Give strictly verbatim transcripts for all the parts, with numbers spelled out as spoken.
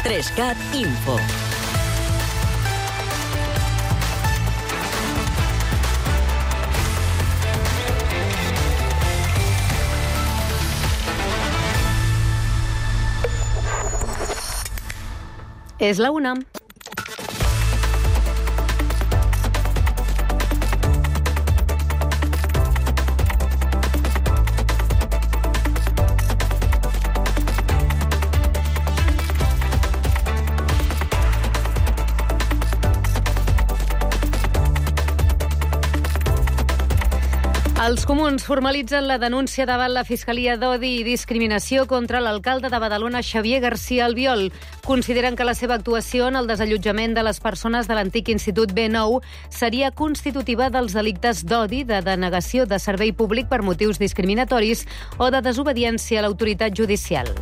Trescat Info. És la una. Els comuns formalitzen la denúncia davant la Fiscalia d'Odi i Discriminació contra l'alcalde de Badalona, Xavier García Albiol. Consideren que la seva actuació en el desallotjament de les persones de l'antic Institut B nou seria constitutiva dels delictes d'odi, de denegació de servei públic per motius discriminatoris o de desobediència a l'autoritat judicial.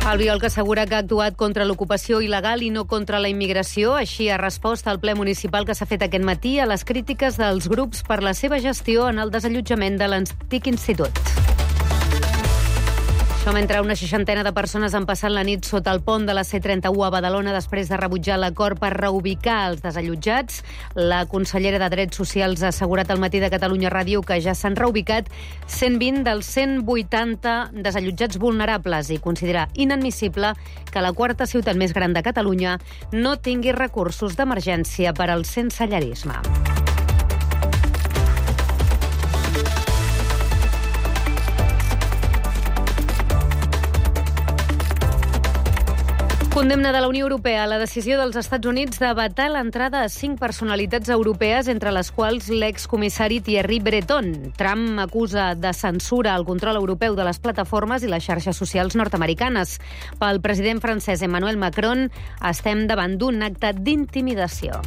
Albiol, que assegura que ha actuat contra l'ocupació il·legal i no contra la immigració, així ha respost al ple municipal que s'ha fet aquest matí a les crítiques dels grups per la seva gestió en el desallotjament de l'antic institut. Això mentre una seixantena de persones han passat la nit sota el pont de la C trenta-u a Badalona després de rebutjar l'acord per reubicar els desallotjats. La consellera de Drets Socials ha assegurat al Matí de Catalunya Ràdio que ja s'han reubicat cent vint dels cent vuitanta desallotjats vulnerables i considera inadmissible que la quarta ciutat més gran de Catalunya no tingui recursos d'emergència per al sensellarisme. Condemna de la Unió Europea a la decisió dels Estats Units de vetar l'entrada a cinc personalitats europees, entre les quals l'excomissari Thierry Breton. Trump acusa de censura al control europeu de les plataformes i les xarxes socials nord-americanes. Pel president francès Emmanuel Macron, estem davant d'un acte d'intimidació.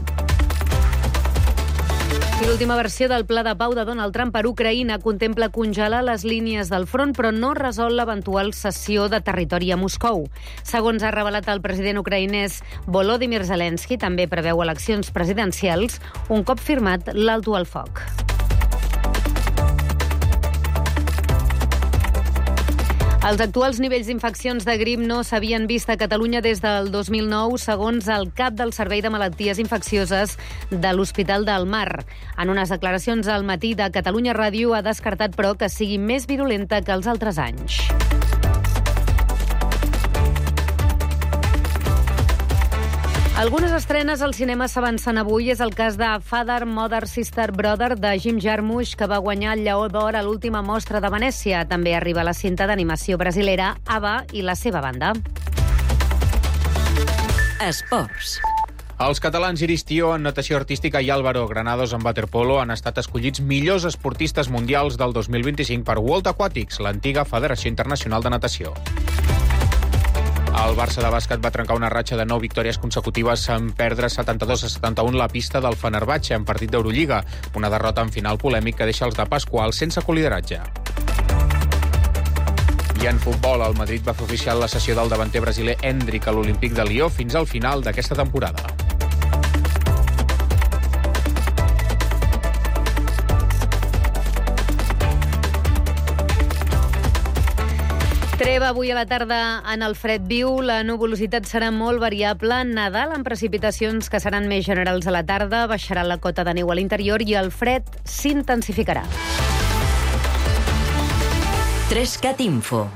I l'última versió del pla de pau de Donald Trump per Ucraïna contempla congelar les línies del front, però no resol l'eventual cessió de territori a Moscou. Segons ha revelat el president ucraïnès Volodymyr Zelensky, també preveu eleccions presidencials un cop firmat l'alto al foc. Els actuals nivells d'infeccions de grip no s'havien vist a Catalunya des del dos mil nou, segons el cap del Servei de Malalties Infeccioses de l'Hospital del Mar. En unes declaracions al Matí de Catalunya Ràdio ha descartat, però, que sigui més virulenta que els altres anys. Algunes estrenes al cinema s'avancen avui. És el cas de Father, Mother, Sister, Brother, de Jim Jarmusch, que va guanyar el Lleó d'Or a l'última mostra de Venècia. També arriba la cinta d'animació brasilera Ava i la seva banda. Esports. Els catalans Iris Tió en natació artística i Álvaro Granados en waterpolo han estat escollits millors esportistes mundials del dos mil vint-i-cinc per World Aquatics, l'antiga Federació Internacional de Natació. El Barça de bàsquet va trencar una ratxa de nou victòries consecutives en perdre setanta-dos a setanta-u la pista del Fenerbahçe en partit d'Eurolliga, una derrota en final polèmic que deixa els de Pasqual sense colideratge. I en futbol, el Madrid va fer oficial la cessió del davanter brasiler Endrick a l'Olímpic de Lió fins al final d'aquesta temporada. Treva avui a la tarda en el fred viu. La nuvolositat serà molt variable. Nadal amb precipitacions que seran més generals a la tarda. Baixarà la cota de neu a l'interior i el fred s'intensificarà. Trescat Info.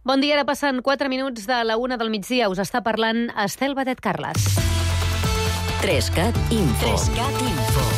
Bon dia, ara passen quatre minuts de la una del migdia. Us està parlant Estel Badet Carles. Trescat Info. Trescat Info.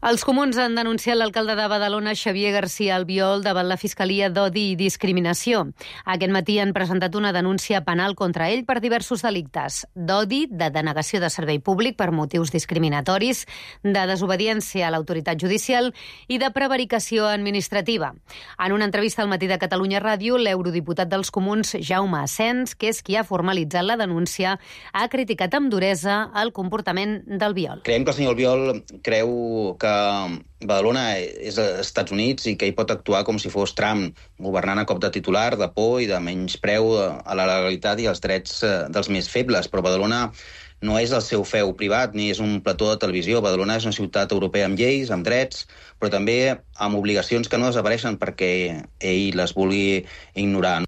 Els comuns han denunciat l'alcalde de Badalona, Xavier García Albiol, davant la Fiscalia d'Odi i Discriminació. Aquest matí han presentat una denúncia penal contra ell per diversos delictes: d'odi, de denegació de servei públic per motius discriminatoris, de desobediència a l'autoritat judicial i de prevaricació administrativa. En una entrevista al Matí de Catalunya Ràdio, l'eurodiputat dels comuns, Jaume Asens, que és qui ha formalitzat la denúncia, ha criticat amb duresa el comportament d'Albiol. Creiem que el senyor Albiol creu que que Badalona és als Estats Units i que hi pot actuar com si fos Trump, governant a cop de titular, de por i de menyspreu a la legalitat i als drets dels més febles. Però Badalona no és el seu feu privat ni és un plató de televisió. Badalona és una ciutat europea amb lleis, amb drets, però també amb obligacions que no desapareixen perquè ell les vulgui ignorar.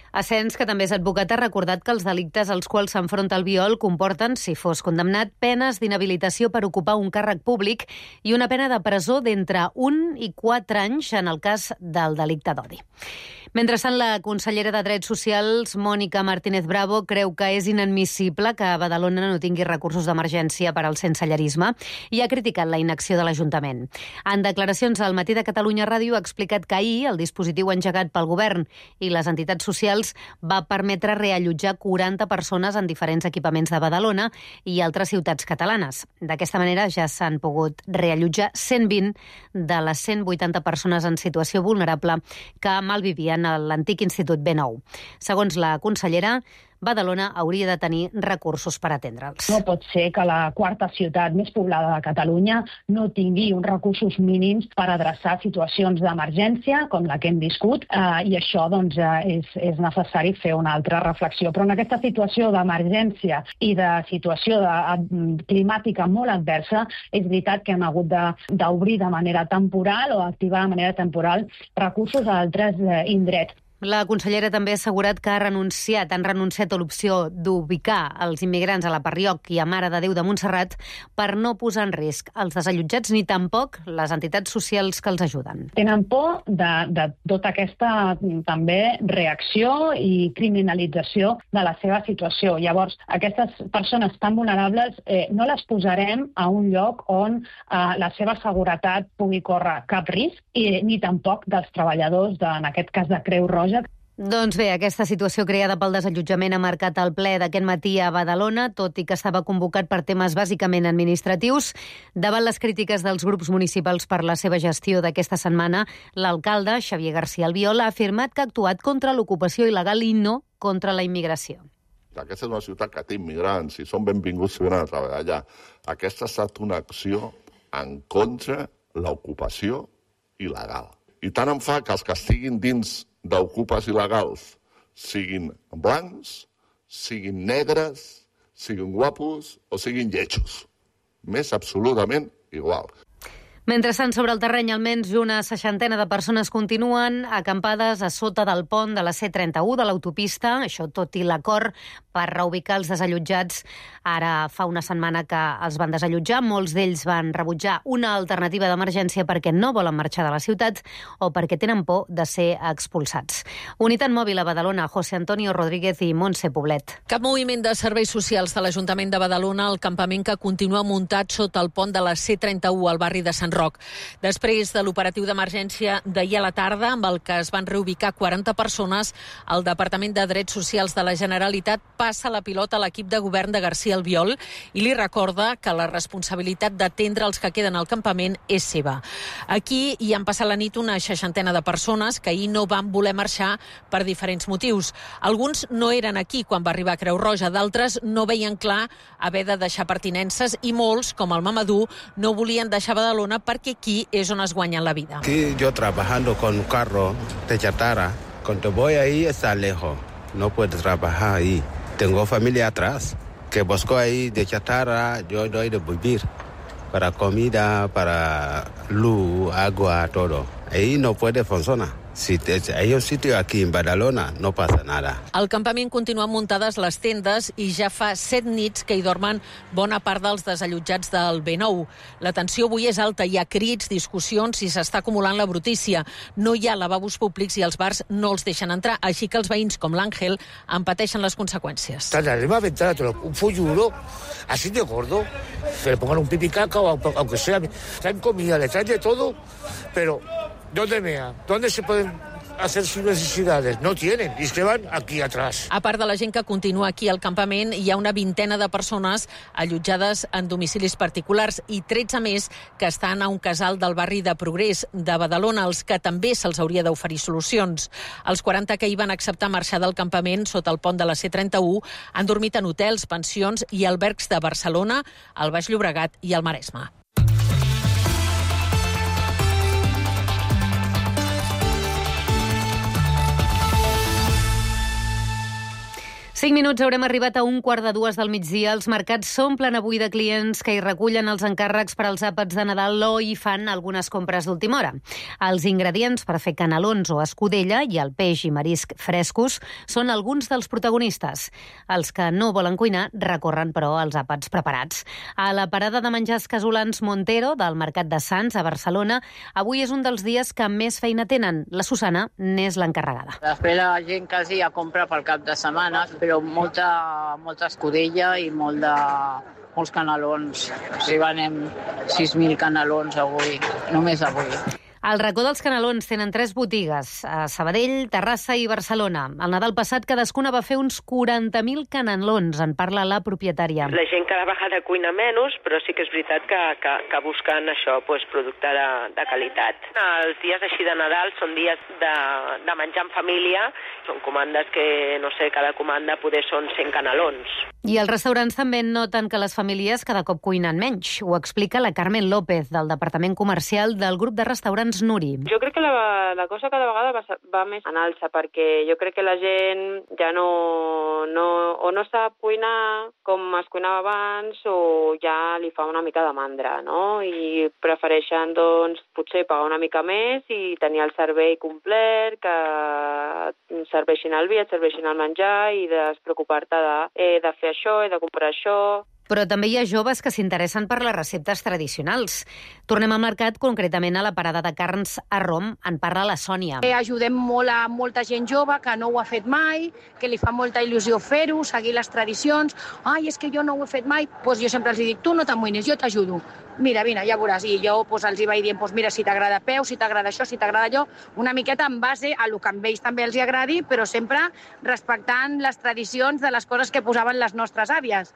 Asens, que també és advocat, ha recordat que els delictes als quals s'enfronta Albiol comporten, si fos condemnat, penes d'inhabilitació per ocupar un càrrec públic i una pena de presó d'entre un i quatre anys en el cas del delicte d'odi. Mentrestant, la consellera de Drets Socials, Mònica Martínez Bravo, creu que és inadmissible que Badalona no tingui recursos d'emergència per al sensellarisme i ha criticat la inacció de l'Ajuntament. En declaracions al Matí de Catalunya Ràdio ha explicat que ahir el dispositiu engegat pel govern i les entitats socials va permetre reallotjar quaranta persones en diferents equipaments de Badalona i altres ciutats catalanes. D'aquesta manera ja s'han pogut reallotjar cent vint de les cent vuitanta persones en situació vulnerable que malvivien a l'antic Institut B nou. Segons la consellera, Badalona hauria de tenir recursos per atendre'ls. No pot ser que la quarta ciutat més poblada de Catalunya no tingui uns recursos mínims per adreçar situacions d'emergència com la que hem viscut, eh, i això doncs, eh, és, és necessari fer una altra reflexió. Però en aquesta situació d'emergència i de situació de, climàtica molt adversa, és veritat que hem hagut d'obrir de, de manera temporal o activar de manera temporal recursos a altres eh, indrets. La consellera també ha assegurat que ha renunciat, han renunciat a l'opció d'ubicar els immigrants a la Parrioc i a Mare de Déu de Montserrat per no posar en risc els desallotjats ni tampoc les entitats socials que els ajuden. Tenen por de, de tota aquesta també reacció i criminalització de la seva situació. Llavors, aquestes persones tan vulnerables eh, no les posarem a un lloc on eh, la seva seguretat pugui córrer cap risc i ni tampoc dels treballadors, de, en aquest cas de Creu Roja. Doncs bé, aquesta situació creada pel desallotjament ha marcat el ple d'aquest matí a Badalona, tot i que estava convocat per temes bàsicament administratius. Davant les crítiques dels grups municipals per la seva gestió d'aquesta setmana, l'alcalde, Xavier García Albiol, ha afirmat que ha actuat contra l'ocupació il·legal i no contra la immigració. Aquesta és una ciutat que té immigrants i són benvinguts si venen a treballar allà. Aquesta ha estat una acció en contra l'ocupació il·legal. I tant em fa que els que estiguin dins d'ocupes il·legals siguin blancs, siguin negres, siguin guapos o siguin lletjos. M'és absolutament igual. Mentrestant, sobre el terreny, almenys una seixantena de persones continuen acampades a sota del pont de la C trenta-u de l'autopista, això tot i l'acord per reubicar els desallotjats. Ara fa una setmana que els van desallotjar, molts d'ells van rebutjar una alternativa d'emergència perquè no volen marxar de la ciutat o perquè tenen por de ser expulsats. Unitat Mòbil a Badalona, José Antonio Rodríguez i Montse Poblet. Cap moviment de serveis socials de l'Ajuntament de Badalona al campament que continua muntat sota el pont de la C trenta-u al barri de Sant Roc. Després de l'operatiu d'emergència d'ahir a la tarda, amb el que es van reubicar quaranta persones, el Departament de Drets Socials de la Generalitat passa la pilota a l'equip de govern de García Albiol i li recorda que la responsabilitat d'atendre els que queden al campament és seva. Aquí hi han passat la nit una seixantena de persones que ahir no van voler marxar per diferents motius. Alguns no eren aquí quan va arribar Creu Roja, d'altres no veien clar haver de deixar pertinences i molts, com el Mamadou, no volien deixar Badalona perquè aquí és on es guanyen la vida. Aquí yo trabajando con un carro de chatarra, cuando voy ahí está lejos, no puedo trabajar ahí. Tengo familia atrás, que busco ahí de chatarra, yo doy de vivir, para comida, para luz, agua, todo. Ahí no puede funcionar. Si hay un sitio aquí en Badalona, no passa nada. Al campament continuen muntades les tendes i ja fa set nits que hi dormen bona part dels desallotjats del B nou. La tensió avui és alta, hi ha crits, discussions i s'està acumulant la brutícia. No hi ha lavabos públics i els bars no els deixen entrar, així que els veïns com l'Àngel en pateixen les conseqüències. Tardaremos a ventana, un folluro, así de gordo, que le pongan un pipicaca, aunque sea, traen comida, le traen de todo, pero ¿dónde mea? ¿Dónde se pueden hacer sus necesidades? No tienen, y se van aquí atrás. A part de la gent que continua aquí al campament, hi ha una vintena de persones allotjades en domicilis particulars i tretze més que estan a un casal del barri de Progrés de Badalona, als que també se'ls hauria d'oferir solucions. Els quaranta que hi van acceptar marxar del campament sota el pont de la C trenta-u han dormit en hotels, pensions i albergs de Barcelona, el Baix Llobregat i el Maresme. cinc minuts haurem arribat a un quart de dues del migdia. Els mercats s'omplen avui de clients que hi recullen els encàrrecs per als àpats de Nadal o hi fan algunes compres d'última hora. Els ingredients per fer canelons o escudella i el peix i marisc frescos són alguns dels protagonistes. Els que no volen cuinar recorren, però, als àpats preparats. A la parada de menjars casolans Montero, del Mercat de Sants, a Barcelona, avui és un dels dies que més feina tenen. La Susana n'és l'encarregada. Després la gent quasi ja compra pel cap de setmana, però molta, molta escudella i molt de, molts canelons. O sigui, venem sis mil canelons avui, només avui. Al racó dels canelons tenen tres botigues, a Sabadell, Terrassa i Barcelona. El Nadal passat cadascuna va fer uns quaranta mil canelons, en parla la propietària. La gent cada vegada cuina menys, però sí que és veritat que, que, que busquen això, pues, producte de, de qualitat. Els dies així de Nadal són dies de, de menjar en família, són comandes que, no sé, cada comanda poder són cent canelons. I els restaurants també noten que les famílies cada cop cuinen menys. Ho explica la Carmen López, del Departament Comercial del grup de restaurants Nuri. Jo crec que la, la cosa cada vegada va, va més en alça, perquè jo crec que la gent ja no, no, o no sap cuinar com es cuinava abans o ja li fa una mica de mandra, no? I prefereixen, doncs, potser pagar una mica més i tenir el servei complet, que serveixin el vi, et serveixin el menjar i despreocupar-te de, eh, de fer això i de comprar això. Però també hi ha joves que s'interessen per les receptes tradicionals. Tornem al mercat, concretament a la parada de carns a Rom. En parla la Sònia. Eh, ajudem molt a molta gent jove que no ho ha fet mai, que li fa molta il·lusió fer-ho, seguir les tradicions. Ai, és que jo no ho he fet mai. Pues jo sempre els dic, tu no t'amoïnis, jo t'ajudo. Mira, vine, ja veuràs. I jo pues, els hi vaig dient, pues, mira, si t'agrada peu, si t'agrada això, si t'agrada allò, una miqueta en base a lo que a ells també els agradi, però sempre respectant les tradicions de les coses que posaven les nostres àvies.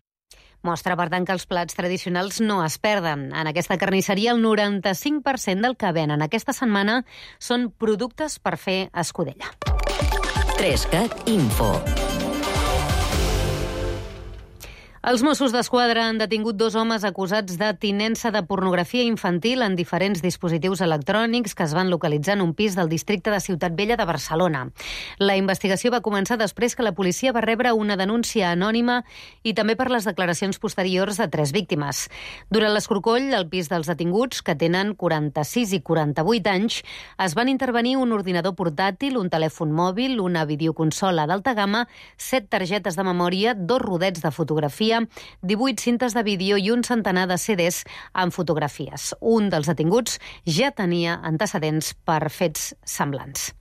Mostra, per tant, que els plats tradicionals no es perden. En aquesta carnisseria, el noranta-cinc per cent del que venen aquesta setmana són productes per fer escudella. Trescat Info. Els Mossos d'Esquadra han detingut dos homes acusats de tinença de pornografia infantil en diferents dispositius electrònics que es van localitzar en un pis del districte de Ciutat Vella de Barcelona. La investigació va començar després que la policia va rebre una denúncia anònima i també per les declaracions posteriors de tres víctimes. Durant l'escorcoll, al pis dels detinguts, que tenen quaranta-sis i quaranta-vuit anys, es van intervenir un ordinador portàtil, un telèfon mòbil, una videoconsola d'alta gamma, set targetes de memòria, dos rodets de fotografia, divuit cintes de vídeo i un centenar de C Ds amb fotografies. Un dels detinguts ja tenia antecedents per fets semblants.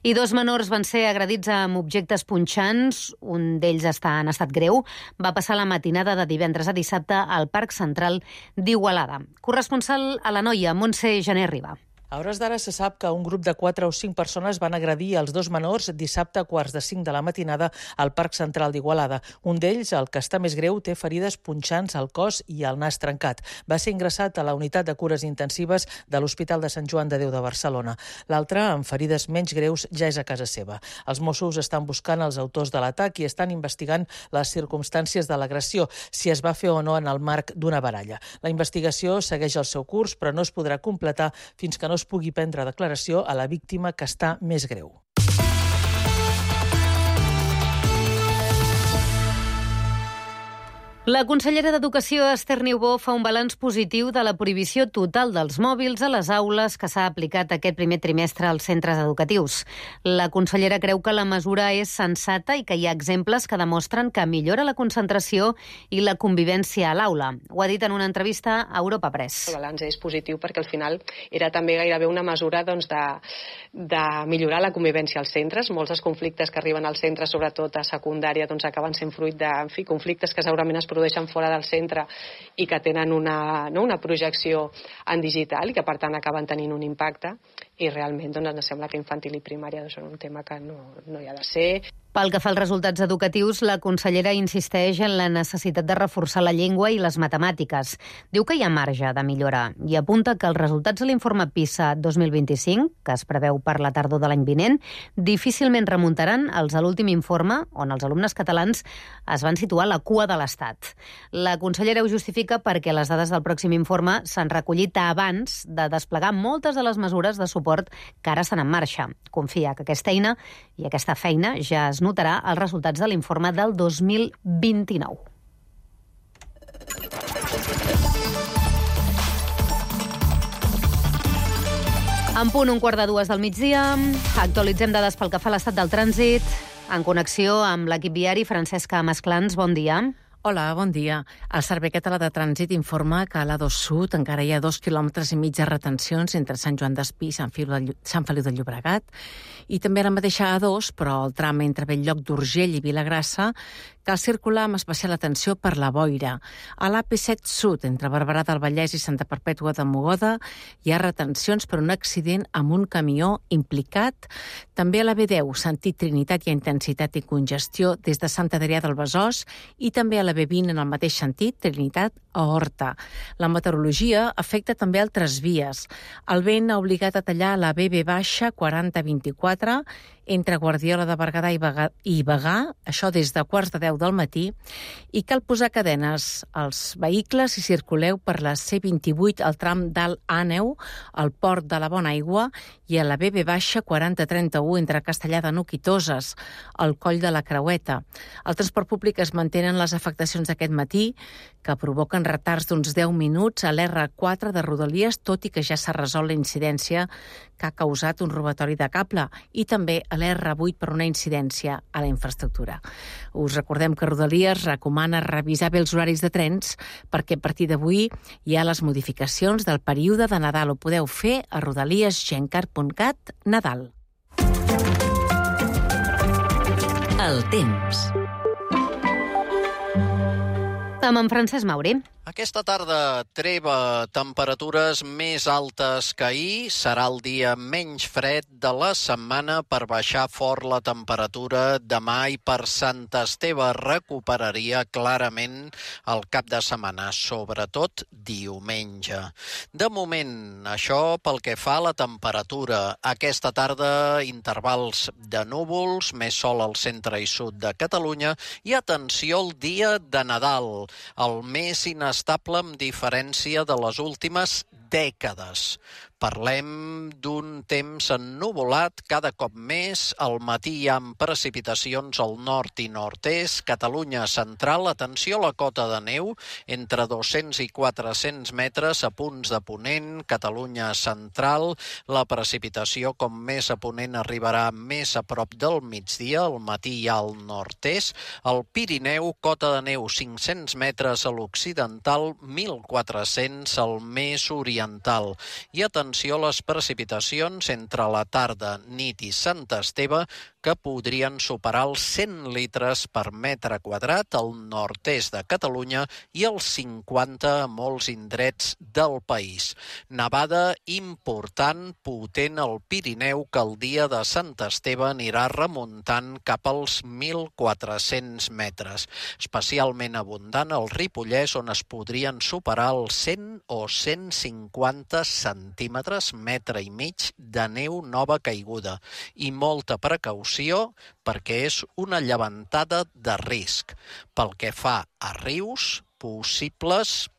I dos menors van ser agredits amb objectes punxants, un d'ells està en estat greu, va passar la matinada de divendres a dissabte al Parc Central d'Igualada. Corresponsal a la Noia, Montse Gené Riba. A hores d'ara se sap que un grup de quatre o cinc persones van agredir els dos menors dissabte a quarts de cinc de la matinada al Parc Central d'Igualada. Un d'ells, el que està més greu, té ferides punxants al cos i al nas trencat. Va ser ingressat a la unitat de cures intensives de l'Hospital de Sant Joan de Déu de Barcelona. L'altre, amb ferides menys greus, ja és a casa seva. Els Mossos estan buscant els autors de l'atac i estan investigant les circumstàncies de l'agressió, si es va fer o no en el marc d'una baralla. La investigació segueix el seu curs, però no es podrà completar fins que no es pugui prendre declaració a la víctima que està més greu. La consellera d'Educació, Esther Niubó, fa un balanç positiu de la prohibició total dels mòbils a les aules que s'ha aplicat aquest primer trimestre als centres educatius. La consellera creu que la mesura és sensata i que hi ha exemples que demostren que millora la concentració i la convivència a l'aula. Ho ha dit en una entrevista a Europa Press. El balanç és positiu perquè al final era també gairebé una mesura doncs, de, de millorar la convivència als centres. Molts dels conflictes que arriben als centres, sobretot a secundària, doncs, acaben sent fruit de en fi, conflictes que segurament es produeixen fora del centre i que tenen una, no, una projecció en digital i que per tant acaben tenint un impacte i realment doncs, ens sembla que infantil i primària doncs, són un tema que no, no hi ha de ser. Pel que fa als resultats educatius, la consellera insisteix en la necessitat de reforçar la llengua i les matemàtiques. Diu que hi ha marge de millorar i apunta que els resultats de l'informe PISA dos mil vint-i-cinc, que es preveu per la tardor de l'any vinent, difícilment remuntaran als de l'últim informe, on els alumnes catalans es van situar a la cua de l'Estat. La consellera ho justifica perquè les dades del pròxim informe s'han recollit abans de desplegar moltes de les mesures de suport que ara estan en marxa. Confia que aquesta eina i aquesta feina ja es es notarà els resultats de l'informe del dos mil vint-i-nou. En punt, un quart de dues del migdia, actualitzem dades pel que fa a l'estat del trànsit, en connexió amb l'equip viari. Francesca Masclans, bon dia. Hola, bon dia. El Servei Català de Trànsit informa que a l'A dos Sud encara hi ha dos quilòmetres i mig de retencions entre Sant Joan d'Espí i Sant Feliu de Llobregat, i també a la mateixa A dos, però el tram entre Bell-lloc d'Urgell i Vilagrassa, cal circular amb especial atenció per la boira. A l'A P set Sud, entre Barberà del Vallès i Santa Perpètua de Mogoda, hi ha retencions per un accident amb un camió implicat. També a la B deu, sentit Trinitat, hi ha intensitat i congestió des de Sant Adrià del Besòs, i també a la B vint en el mateix sentit, Trinitat a Horta. La meteorologia afecta també altres vies. El vent ha obligat a tallar la B B baixa quaranta vint-i-quatre entre Guardiola de Berguedà i Bagà, i Bagà, això des de quarts de deu del matí, i cal posar cadenes als vehicles si circuleu per la C vint-i-vuit al tram d'Alt Àneu, al port de la Bona Aigua, i a la B B baixa quaranta trenta-u entre Castellar de Nuc i Toses, al coll de la Creueta. El transport públic es mantenen les afectacions d'aquest matí, que provoquen retards d'uns deu minuts a l'R quatre de Rodalies, tot i que ja s'ha resolt la incidència que ha causat un robatori de cable, i també a l'R vuit per una incidència a la infraestructura. Us recordem que Rodalies recomana revisar bé els horaris de trens perquè a partir d'avui hi ha les modificacions del període de Nadal. Ho podeu fer a rodaliesgencar punt cat Nadal. El temps. Amb en Francesc Mauri. Aquesta tarda treva, temperatures més altes que ahir. Serà el dia menys fred de la setmana per baixar fort la temperatura demà, i per Sant Esteve recuperaria clarament el cap de setmana, sobretot diumenge. De moment, això pel que fa a la temperatura. Aquesta tarda, intervals de núvols, més sol al centre i sud de Catalunya, i atenció al dia de Nadal, el més inestable amb diferència de les últimes dècades. Parlem d'un temps ennuvolat cada cop més. Al matí hi ha precipitacions al nord i nord-est. Catalunya central, atenció a la cota de neu, entre dos-cents i quatre-cents metres a punts de ponent. Catalunya central, la precipitació com més a ponent arribarà més a prop del migdia, al matí hi ha al nord-est. Al Pirineu, cota de neu cinc-cents metres a l'occidental, mil quatre-cents al més oriental. I atenció a les precipitacions entre la tarda, nit i Sant Esteve, que podrien superar els cent litres per metre quadrat al nord-est de Catalunya i els cinquanta a molts indrets del país. Nevada important, potent al Pirineu, que el dia de Sant Esteve anirà remuntant cap als mil quatre-cents metres. Especialment abundant al Ripollès, on es podrien superar els cent o cent cinquanta centímetres, metre i mig de neu nova caiguda. I molta precaució perquè és una llevantada de risc. Pel que fa a rius, possibles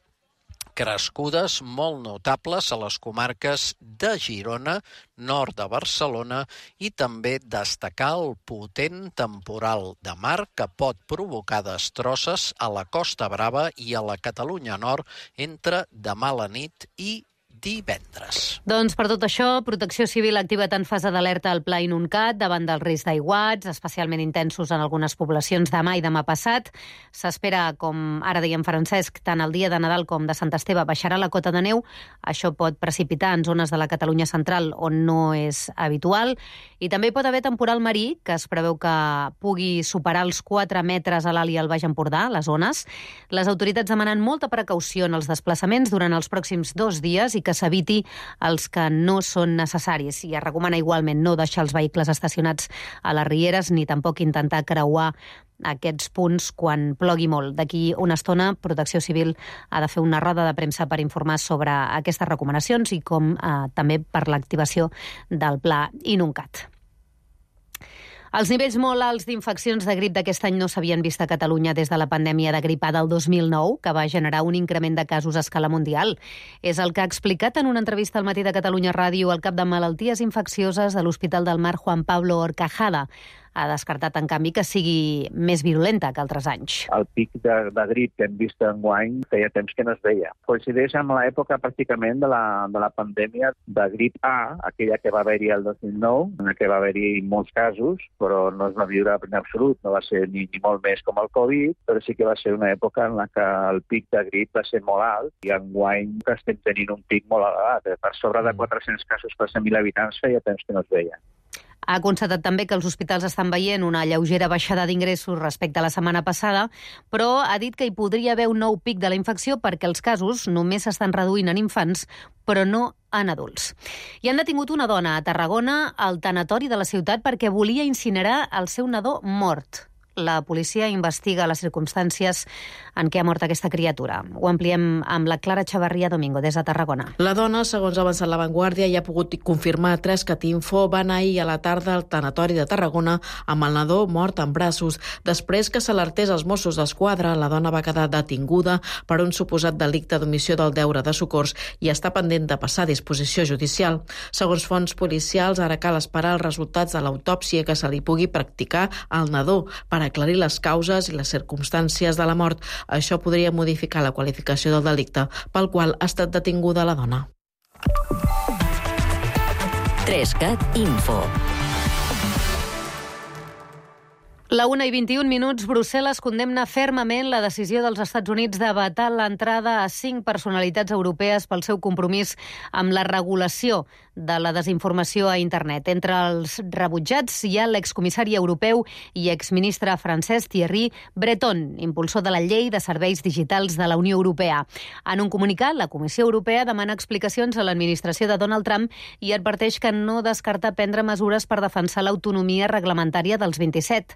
crescudes molt notables a les comarques de Girona, nord de Barcelona, i també destacar el potent temporal de mar que pot provocar destrosses a la Costa Brava i a la Catalunya Nord entre demà a la nit i divendres. Doncs per tot això, Protecció Civil ha activat en fase d'alerta al Pla Inuncat davant del risc d'aiguats, especialment intensos en algunes poblacions demà i demà passat. S'espera, com ara dèiem Francesc, tant el dia de Nadal com de Sant Esteve baixarà la cota de neu. Això pot precipitar en zones de la Catalunya central on no és habitual. I també hi pot haver temporal marí, que es preveu que pugui superar els quatre metres a l'Alt i al Baix Empordà, les zones. Les autoritats demanen molta precaució en els desplaçaments durant els pròxims dos dies i que s'eviti els que no són necessaris. I es recomana igualment no deixar els vehicles estacionats a les rieres ni tampoc intentar creuar aquests punts quan plogui molt. D'aquí una estona, Protecció Civil ha de fer una roda de premsa per informar sobre aquestes recomanacions i com eh, també per l'activació del Pla Inuncat. Els nivells molt alts d'infeccions de grip d'aquest any no s'havien vist a Catalunya des de la pandèmia de grip A del dos mil nou, que va generar un increment de casos a escala mundial. És el que ha explicat en una entrevista al Matí de Catalunya Ràdio el cap de malalties infeccioses de l'Hospital del Mar, Juan Pablo Horcajada. ha descartat, en canvi, que sigui més virulenta que altres anys. El pic de, de grip que hem vist enguany feia temps que no es veia. Coincideix amb l'època pràcticament de la, de la pandèmia de grip A, aquella que va haver-hi el dos mil nou, en què va haver-hi molts casos, però no es va viure en absolut, no va ser ni, ni molt més com el Covid, però sí que va ser una època en la que el pic de grip va ser molt alt i enguany que estem tenint un pic molt elevat. Per sobre de quatre-cents casos per cent mil habitants feia temps que no es veia. Ha constatat també que els hospitals estan veient una lleugera baixada d'ingressos respecte a la setmana passada, però ha dit que hi podria haver un nou pic de la infecció perquè els casos només s'estan reduint en infants, però no en adults. I han detingut una dona a Tarragona al tanatori de la ciutat perquè volia incinerar el seu nadó mort. La policia investiga les circumstàncies en què ha mort aquesta criatura. Ho ampliem amb la Clara Chavarria Domingo, des de Tarragona. La dona, segons ha avançat La Vanguardia, i ha pogut confirmar tres Catinfo, va anar ahir a la tarda al tanatori de Tarragona amb el nadó mort en braços. Després que s'alertés als Mossos d'Esquadra, la dona va quedar detinguda per un suposat delicte d'omissió del deure de socors i està pendent de passar a disposició judicial. Segons fonts policials, ara cal esperar els resultats de l'autòpsia que se li pugui practicar al nadó per aclarir les causes i les circumstàncies de la mort. Això podria modificar la qualificació del delicte pel qual ha estat detinguda la dona. Trescat Info. La una i vint-i-un minuts, Brussel·les condemna fermament la decisió dels Estats Units de vetar l'entrada a cinc personalitats europees pel seu compromís amb la regulació de la desinformació a internet. Entre els rebutjats hi ha l'excomissari europeu i exministre francès Thierry Breton, impulsor de la llei de serveis digitals de la Unió Europea. En un comunicat, la Comissió Europea demana explicacions a l'administració de Donald Trump i adverteix que no descarta prendre mesures per defensar l'autonomia reglamentària dels vint-i-set.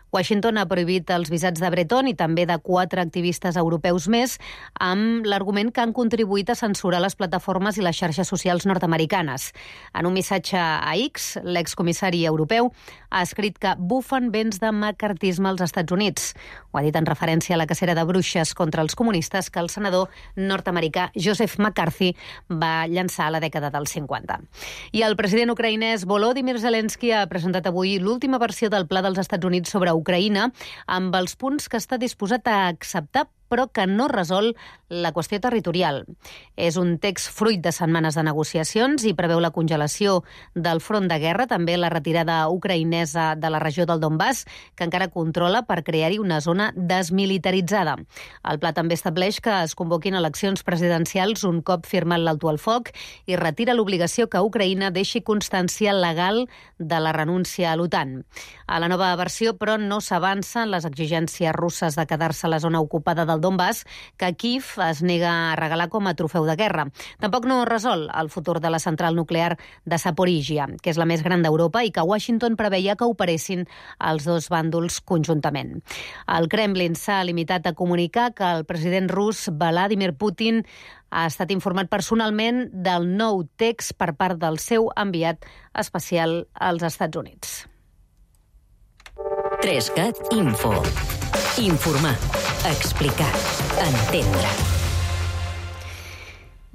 Washington ha prohibit els visats de Breton i també de quatre activistes europeus més amb l'argument que han contribuït a censurar les plataformes i les xarxes socials nord-americanes. En un missatge a X, l'excomissari europeu ha escrit que bufen vents de macartisme als Estats Units. Ho ha dit en referència a la cacera de bruixes contra els comunistes que el senador nord-americà Joseph McCarthy va llançar a la dècada dels cinquanta. I el president ucraïnès Volodymyr Zelensky ha presentat avui l'última versió del pla dels Estats Units sobre Ucraïna amb els punts que està disposat a acceptar però que no resol la qüestió territorial. És un text fruit de setmanes de negociacions i preveu la congelació del front de guerra, també la retirada ucraïnesa de la regió del Donbass, que encara controla per crear-hi una zona desmilitaritzada. El pla també estableix que es convoquin eleccions presidencials un cop firmat l'alto al foc i retira l'obligació que Ucraïna deixi constància legal de la renúncia a l'OTAN. A la nova versió, però, no s'avancen les exigències russes de quedar-se a la zona ocupada del Donbass, que Kiev es nega a regalar com a trofeu de guerra. Tampoc no resol el futur de la central nuclear de Zaporígia, que és la més gran d'Europa i que Washington preveia que operessin els dos bàndols conjuntament. El Kremlin s'ha limitat a comunicar que el president rus Vladimir Putin ha estat informat personalment del nou text per part del seu enviat especial als Estats Units. Trescat Info. Informar, explicar, entendre.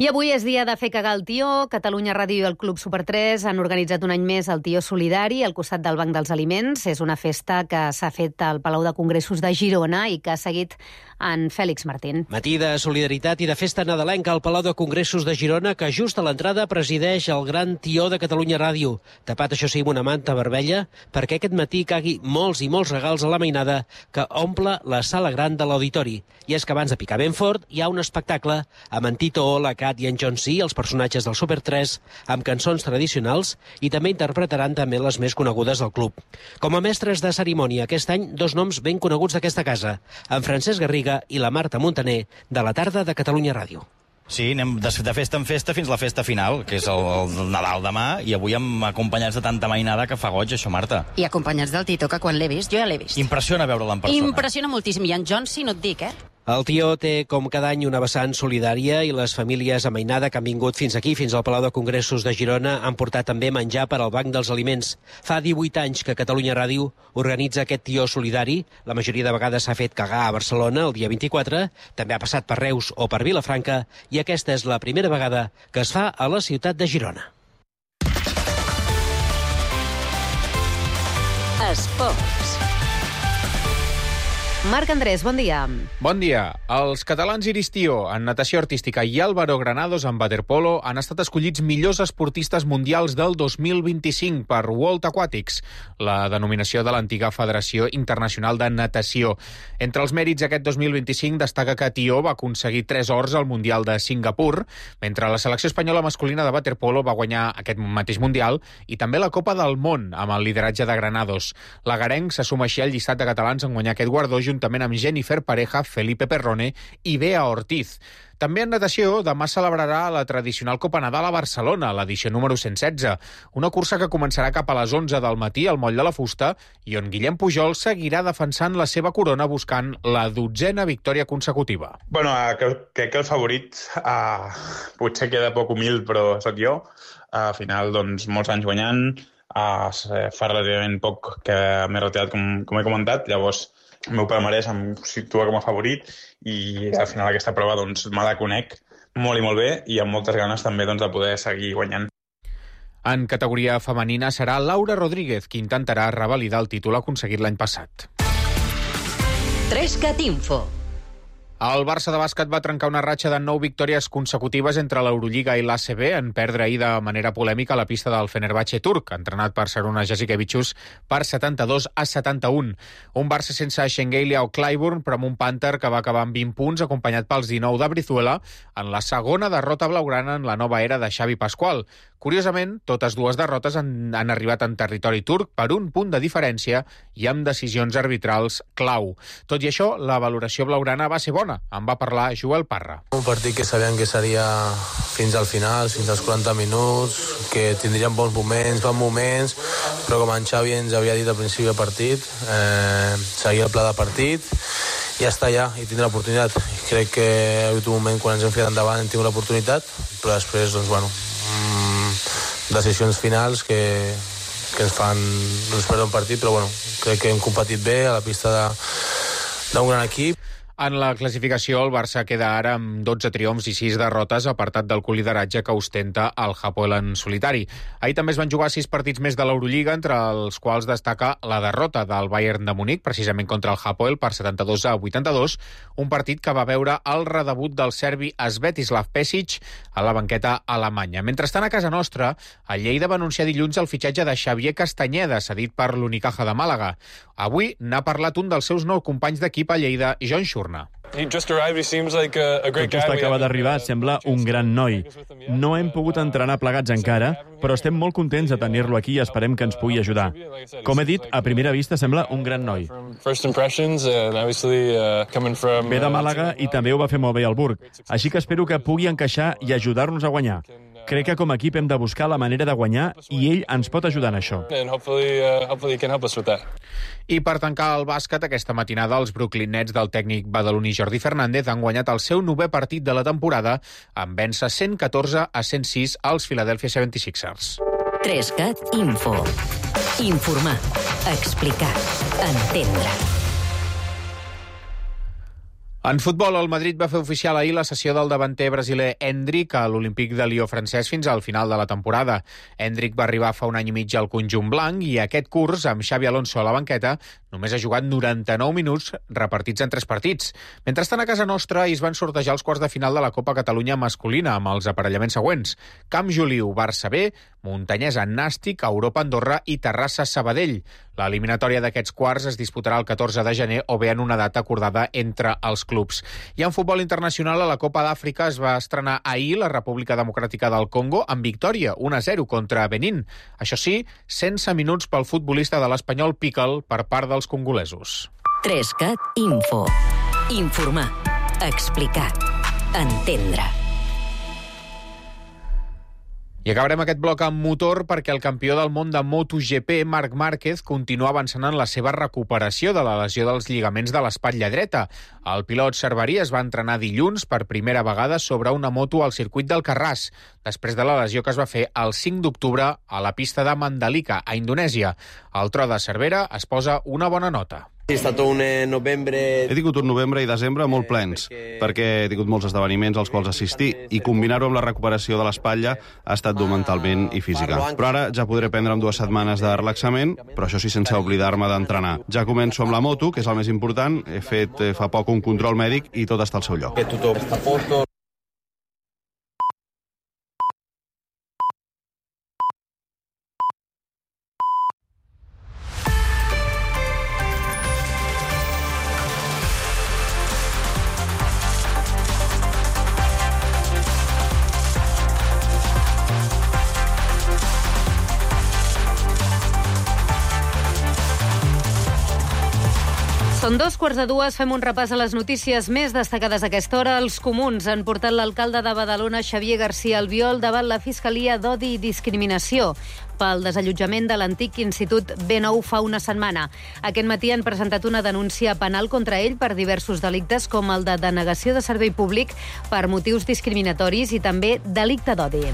I avui és dia de fer cagar el tió. Catalunya Ràdio i el Club Super tres han organitzat un any més el Tió Solidari al costat del Banc dels Aliments. És una festa que s'ha fet al Palau de Congressos de Girona i que ha seguit en Fèlix Martín. Matí de solidaritat i de festa nadalenca al Palau de Congressos de Girona, que just a l'entrada presideix el gran tió de Catalunya Ràdio. Tapat, això sí, amb una manta vermella, perquè aquest matí cagui molts i molts regals a la mainada que omple la sala gran de l'auditori. I és que abans de picar ben fort hi ha un espectacle amb en Tito O, la Cat i en John C, els personatges del Super tres, amb cançons tradicionals i també interpretaran també les més conegudes del club. Com a mestres de cerimònia aquest any, dos noms ben coneguts d'aquesta casa, en Francesc Garriga i la Marta Montaner, de la tarda de Catalunya Ràdio. Sí, anem de, de festa en festa fins a la festa final, que és el, el Nadal demà, i avui amb acompanyats de tanta mainada que fa goig, això, Marta. I acompanyats del Tito, que quan l'he vist, jo ja l'he vist. Impressiona veure'l en persona. Impressiona moltíssim, i en John sí, no et dic, eh? El tió té, com cada any, una vessant solidària i les famílies a mainada que han vingut fins aquí, fins al Palau de Congressos de Girona, han portat també menjar per al Banc dels Aliments. Fa divuit anys que Catalunya Ràdio organitza aquest tió solidari. La majoria de vegades s'ha fet cagar a Barcelona el dia vint-i-quatre, també ha passat per Reus o per Vilafranca, i aquesta és la primera vegada que es fa a la ciutat de Girona. Esports. Marc Andrés, bon dia. Bon dia. Els catalans Iris Tío en natació artística i Álvaro Granados en waterpolo han estat escollits millors esportistes mundials del dos mil vint-i-cinc per World Aquatics, la denominació de l'antiga Federació Internacional de Natació. Entre els mèrits aquest dos mil vint-i-cinc destaca que Tío va aconseguir tres ors al Mundial de Singapur, mentre la selecció espanyola masculina de waterpolo va guanyar aquest mateix Mundial i també la Copa del Món amb el lideratge de Granados. L'agarenc s'assuma així al llistat de catalans en guanyar aquest guardó juntament amb Jennifer Pareja, Felipe Perrone i Bea Ortiz. També en natació, demà celebrarà la tradicional Copa Nadal a Barcelona, l'edició número cent setze, una cursa que començarà cap a les onze del matí al Moll de la Fusta i on Guillem Pujol seguirà defensant la seva corona buscant la dotzena victòria consecutiva. Bueno, crec que el favorit uh, potser queda poc humil, però sóc jo. Uh, al final, doncs, molts anys guanyant, uh, fa relativament poc que m'he retirat, com, com he comentat, llavors el meu palmarès em situa com a favorit i al final aquesta prova doncs, me la conec molt i molt bé i amb moltes ganes també doncs, de poder seguir guanyant. En categoria femenina serà Laura Rodríguez qui intentarà revalidar el títol aconseguit l'any passat. Trescat Info. El Barça de bàsquet va trencar una ratxa de nou victòries consecutives entre l'Eurolliga i l'A C B en perdre ahir de manera polèmica a la pista del Fenerbahçe turc, entrenat per Šarūnas Jasikevičius per setanta-dos a setanta-un. Un Barça sense Šengelia o Clyburn, però amb un Panther que va acabar amb vint punts, acompanyat pels dinou de Brizuela, en la segona derrota blaugrana en la nova era de Xavi Pasqual. Curiosament, totes dues derrotes han, han arribat en territori turc per un punt de diferència i amb decisions arbitrals clau. Tot i això, la valoració blaugrana va ser bona. En va parlar Joel Parra. Un partit que sabíem que seria fins al final, fins als quaranta minuts, que tindríem bons moments, bons moments, però com en Xavi ens havia dit al principi del partit, eh, seguir el pla de partit i ja està allà, i tindre l'oportunitat. Crec que ha hagut un moment quan ens hem ficat endavant hem tingut l'oportunitat, però després, doncs, bueno, mmm, decisions finals que, que ens fan doncs, perdre un partit, però bueno, crec que hem competit bé a la pista de, d'un gran equip. En la classificació, el Barça queda ara amb dotze triomfs i sis derrotes, apartat del colideratge que ostenta el Hapoel en solitari. Ahir també es van jugar sis partits més de l'Eurolliga, entre els quals destaca la derrota del Bayern de Munic, precisament contra el Hapoel, per setanta-dos a vuitanta-dos, un partit que va veure el redebut del serbi Svetislav Pesic a la banqueta alemanya. Mentrestant, a casa nostra, el Lleida va anunciar dilluns el fitxatge de Xavier Castanyeda, cedit per l'Unicaja de Màlaga. Avui n'ha parlat un dels seus nous companys d'equip a Lleida, John Schurna. Tot just acaba d'arribar, sembla un gran noi. No hem pogut entrenar plegats encara, però estem molt contents de tenir-lo aquí i esperem que ens pugui ajudar. Com he dit, a primera vista sembla un gran noi. Ve de Màlaga i també ho va fer molt bé al Burg, així que espero que pugui encaixar i ajudar-nos a guanyar. Crec que com a equip hem de buscar la manera de guanyar i ell ens pot ajudar en això. I per tancar el bàsquet, aquesta matinada els Brooklyn Nets del tècnic badaloní Jordi Fernández han guanyat el seu novè partit de la temporada en vèncer cent catorze a cent sis als Philadelphia setanta-sis ers. Trescat Info. Informar, explicar, entendre. En futbol, el Madrid va fer oficial ahir la cessió del davanter brasiler Endrick a l'Olímpic de Lió francès fins al final de la temporada. Endrick va arribar fa un any i mig al conjunt blanc i aquest curs, amb Xavi Alonso a la banqueta, només ha jugat noranta-nou minuts repartits en tres partits. Mentrestant, a casa nostra es van sortejar els quarts de final de la Copa Catalunya masculina amb els aparellaments següents: Camp Joliu, Barça B, Montanyesa Nàstic, Europa Andorra i Terrassa Sabadell. L'eliminatòria d'aquests quarts es disputarà el catorze de gener o bé en una data acordada entre els clubs. I en futbol internacional, a la Copa d'Àfrica es va estrenar ahir la República Democràtica del Congo amb victòria un a zero contra Benín. Això sí, sense minuts pel futbolista de l'Espanyol Pickle per part dels congolesos. Trescat Info. Informar, explicar, entendre. I acabarem aquest bloc amb motor perquè el campió del món de MotoGP, Marc Márquez, continua avançant en la seva recuperació de la lesió dels lligaments de l'espatlla dreta. El pilot cerverí es va entrenar dilluns per primera vegada sobre una moto al circuit d'Alcarràs, després de la lesió que es va fer el cinc d'octubre a la pista de Mandalika, a Indonèsia. El tro de Cervera es posa una bona nota. He tingut un novembre i desembre molt plens, perquè he tingut molts esdeveniments als quals assistir i combinar-ho amb la recuperació de l'espatlla ha estat dur mentalment i física. Però ara ja podré prendre'm dues setmanes de relaxament, però això sí sense oblidar-me d'entrenar. Ja començo amb la moto, que és el més important. He fet fa poc un control mèdic i tot està al seu lloc. Que tothom està a posto. Són dos quarts de dues, fem un repàs a les notícies més destacades a aquesta hora. Els comuns han portat l'alcalde de Badalona, Xavier García Albiol, davant la Fiscalia d'Odi i Discriminació pel desallotjament de l'antic Institut B nou fa una setmana. Aquest matí han presentat una denúncia penal contra ell per diversos delictes, com el de denegació de servei públic per motius discriminatoris i també delicte d'odi.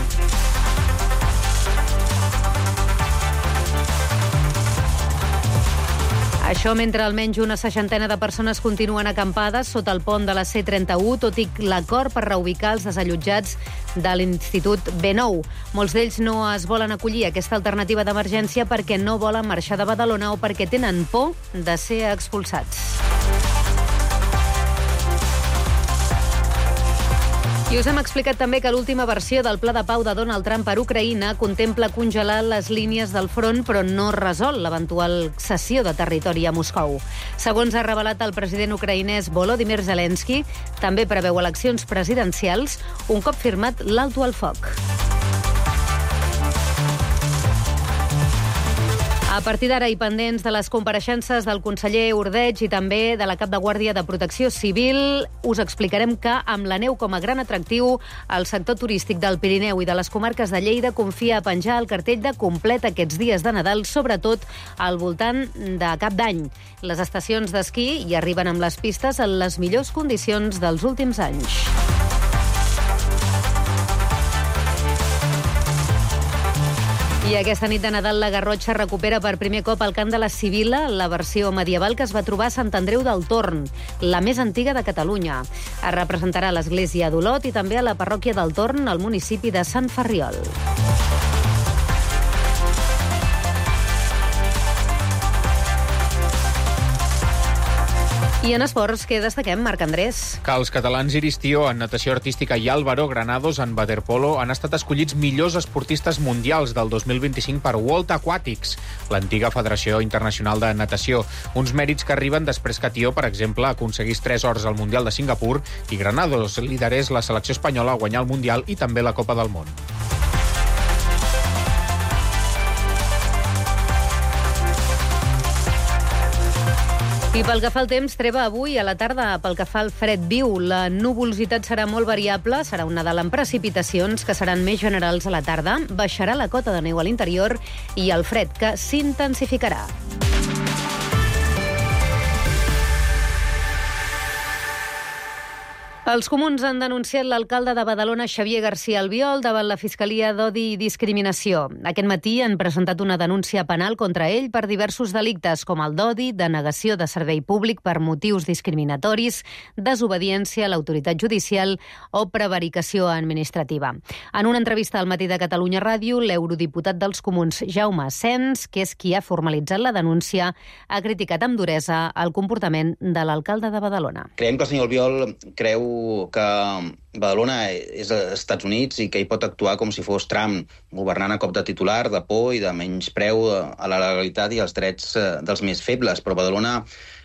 Això mentre almenys una seixantena de persones continuen acampades sota el pont de la C trenta-u, tot i l'acord per reubicar els desallotjats de l'Institut B nou. Molts d'ells no es volen acollir a aquesta alternativa d'emergència perquè no volen marxar de Badalona o perquè tenen por de ser expulsats. I us hem explicat també que l'última versió del pla de pau de Donald Trump per Ucraïna contempla congelar les línies del front, però no resol l'eventual cessió de territori a Moscou. Segons ha revelat el president ucraïnès Volodymyr Zelensky, també preveu eleccions presidencials un cop firmat l'alto al foc. A partir d'ara i pendents de les compareixences del conseller Ordeig i també de la cap de Guàrdia de Protecció Civil, us explicarem que, amb la neu com a gran atractiu, el sector turístic del Pirineu i de les comarques de Lleida confia a penjar el cartell de complet aquests dies de Nadal, sobretot al voltant de Cap d'Any. Les estacions d'esquí hi arriben amb les pistes en les millors condicions dels últims anys. I aquesta nit de Nadal la Garrotxa recupera per primer cop el cant de la Sibil·la, la versió medieval que es va trobar a Sant Andreu del Torn, la més antiga de Catalunya. Es representarà a l'església d'Olot i també a la parròquia del Torn, al municipi de Sant Ferriol. I en esports, què destaquem, Marc Andrés? Que els catalans Iris Tió en natació artística i Álvaro Granados en waterpolo han estat escollits millors esportistes mundials del dos mil vint-i-cinc per World Aquatics, l'antiga Federació Internacional de Natació. Uns mèrits que arriben després que Tió, per exemple, aconseguís tres ors al Mundial de Singapur i Granados liderés la selecció espanyola a guanyar el Mundial i també la Copa del Món. I pel que fa al temps, treva avui a la tarda. Pel que fa al fred viu, la nuvolositat serà molt variable, serà un Nadal amb precipitacions que seran més generals a la tarda, baixarà la cota de neu a l'interior i el fred que s'intensificarà. Els comuns han denunciat l'alcalde de Badalona, Xavier García Albiol, davant la Fiscalia d'Odi i Discriminació. Aquest matí han presentat una denúncia penal contra ell per diversos delictes, com el d'odi, denegació de servei públic per motius discriminatoris, desobediència a l'autoritat judicial o prevaricació administrativa. En una entrevista al Matí de Catalunya Ràdio, l'eurodiputat dels comuns, Jaume Sens, que és qui ha formalitzat la denúncia, ha criticat amb duresa el comportament de l'alcalde de Badalona. Creiem que el senyor Albiol creu que Badalona és als Estats Units i que hi pot actuar com si fos Trump, governant a cop de titular, de por i de menyspreu a la legalitat i als drets dels més febles. Però Badalona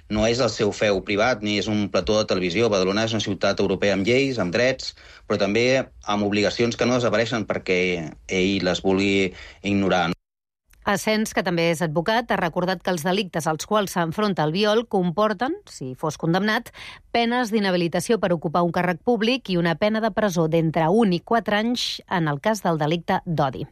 no és el seu feu privat ni és un plató de televisió. Badalona és una ciutat europea amb lleis, amb drets, però també amb obligacions que no desapareixen perquè ell les vulgui ignorar. Asens, que també és advocat, ha recordat que els delictes als quals s'enfronta Albiol comporten, si fos condemnat, penes d'inhabilitació per ocupar un càrrec públic i una pena de presó d'entre un i quatre anys en el cas del delicte d'odi.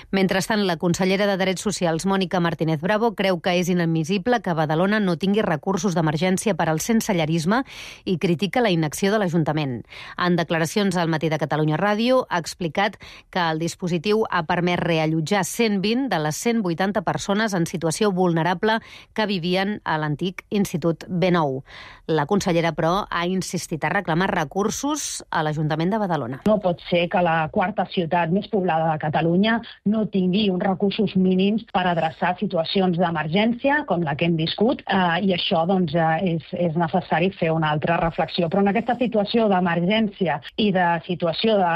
Mentrestant, la consellera de Drets Socials, Mònica Martínez Bravo, creu que és inadmissible que Badalona no tingui recursos d'emergència per al sensellarisme i critica la inacció de l'Ajuntament. En declaracions al Matí de Catalunya Ràdio, ha explicat que el dispositiu ha permès reallotjar cent vint de les cent vuitanta persones en situació vulnerable que vivien a l'antic Institut B nou. La consellera, però, ha insistit a reclamar recursos a l'Ajuntament de Badalona. No pot ser que la quarta ciutat més poblada de Catalunya no tingui uns recursos mínims per adreçar situacions d'emergència com la que hem viscut, eh, i això doncs, eh, és, és necessari fer una altra reflexió. Però en aquesta situació d'emergència i de situació de,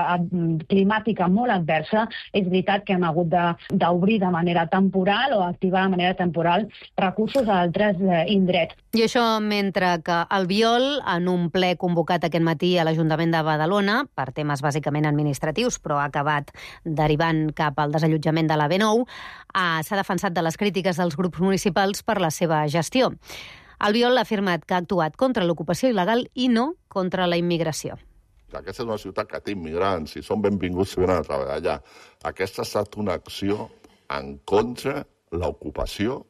climàtica molt adversa, és veritat que hem hagut d'obrir de, de manera temporal o activar de manera temporal recursos a altres eh, indrets. I això mentre que Albiol, en un ple convocat aquest matí a l'Ajuntament de Badalona, per temes bàsicament administratius, però ha acabat derivant cap al desallotjament de la B nou, eh, s'ha defensat de les crítiques dels grups municipals per la seva gestió. Albiol ha afirmat que ha actuat contra l'ocupació il·legal i no contra la immigració. Aquesta és una ciutat que té immigrants i són benvinguts si venen a treballar allà. Aquesta ha estat una acció en contra l'ocupació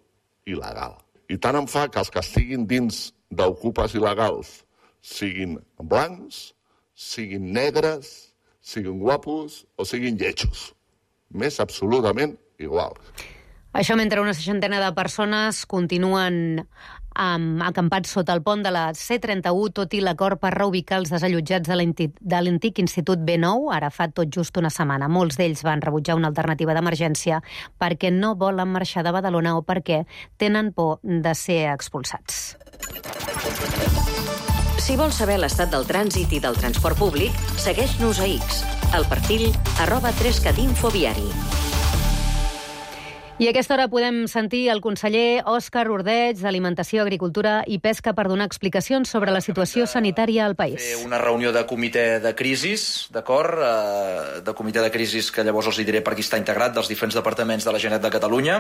il·legal. I tant em fa que els que estiguin dins d'ocupes il·legals siguin blancs, siguin negres, siguin guapos o siguin lletjos. M'és absolutament igual. Això mentre una seixantena de persones continuen um, acampats sota el pont de la C trenta-u, tot i l'acord per reubicar els desallotjats de l'antic Institut B nou, ara fa tot just una setmana. Molts d'ells van rebutjar una alternativa d'emergència perquè no volen marxar de Badalona o perquè tenen por de ser expulsats. Si vols saber l'estat del trànsit i del transport públic, segueix-nos a X, al perfil arroba trescatinfo viari. I a aquesta hora podem sentir el conseller Òscar Ordeig d'Alimentació, Agricultura i Pesca per donar explicacions sobre la situació sanitària al país. Fer una reunió de comitè de crisis, d'acord? De comitè de crisis que llavors els diré per qui està integrat, dels diferents departaments de la Generalitat de Catalunya.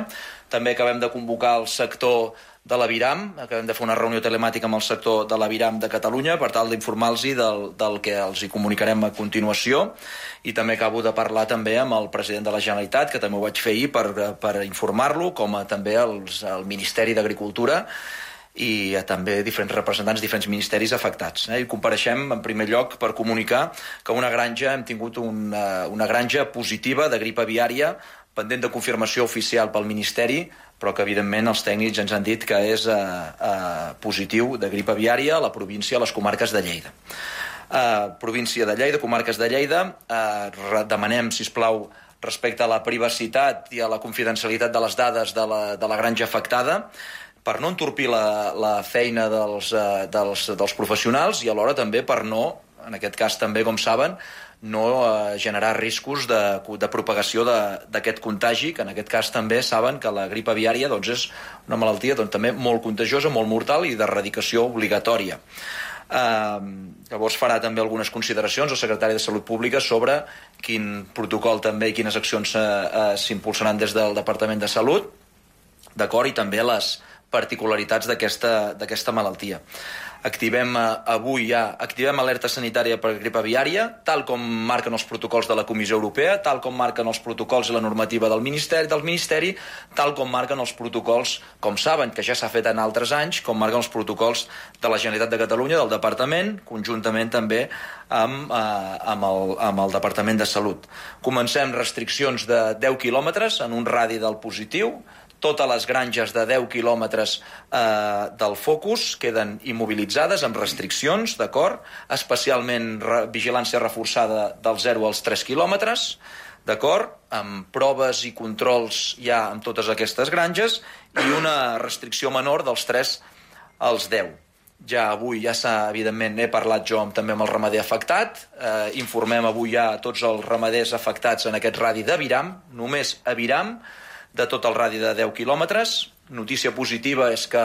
També acabem de convocar el sector de l'Aviram, acabem de fer una reunió telemàtica amb el sector de l'Aviram de Catalunya per tal d'informar-los del, del que els hi comunicarem a continuació, i també acabo de parlar també amb el president de la Generalitat, que també ho vaig fer ahir per, per informar-lo, com a també els, el Ministeri d'Agricultura i també diferents representants, diferents ministeris afectats. Eh? I compareixem en primer lloc per comunicar que una granja, hem tingut una, una granja positiva de grip aviària pendent de confirmació oficial pel Ministeri, però que evidentment els tècnics ens han dit que és eh, eh, positiu de grip aviària a la província, a les comarques de Lleida. Eh, província de Lleida, comarques de Lleida, eh, demanem, sisplau, respecte a la privacitat i a la confidencialitat de les dades de la, de la granja afectada, per no entorpir la, la feina dels, eh, dels, dels professionals i alhora també per no, en aquest cas també, com saben, no eh, generar riscos de, de propagació d'aquest contagi, que en aquest cas també saben que la grip aviària doncs, és una malaltia doncs, també molt contagiosa, molt mortal i d'erradicació obligatòria. Eh, llavors farà també algunes consideracions el secretari de Salut Pública sobre quin protocol també i quines accions eh, eh, s'impulsaran des del Departament de Salut, d'acord, i també les particularitats d'aquesta malaltia. Activem eh, avui ja, activem alerta sanitària per grip aviària, tal com marquen els protocols de la Comissió Europea, tal com marquen els protocols i la normativa del Ministeri, del Ministeri, tal com marquen els protocols, com saben, que ja s'ha fet en altres anys, com marquen els protocols de la Generalitat de Catalunya, del Departament, conjuntament també amb, eh, amb, el, amb el Departament de Salut. Comencem restriccions de deu quilòmetres en un radi del positiu. Totes les granges de deu quilòmetres eh, del focus queden immobilitzades amb restriccions, d'acord? Especialment re, vigilància reforçada dels zero als tres quilòmetres, d'acord? Amb proves i controls ja en totes aquestes granges i una restricció menor dels tres als deu. Ja avui, ja s'ha, evidentment, he parlat jo amb, també amb el ramader afectat, eh, informem avui ja a tots els ramaders afectats en aquest radi d'Aviram, només Aviram, de tot el radi de deu quilòmetres. Notícia positiva és que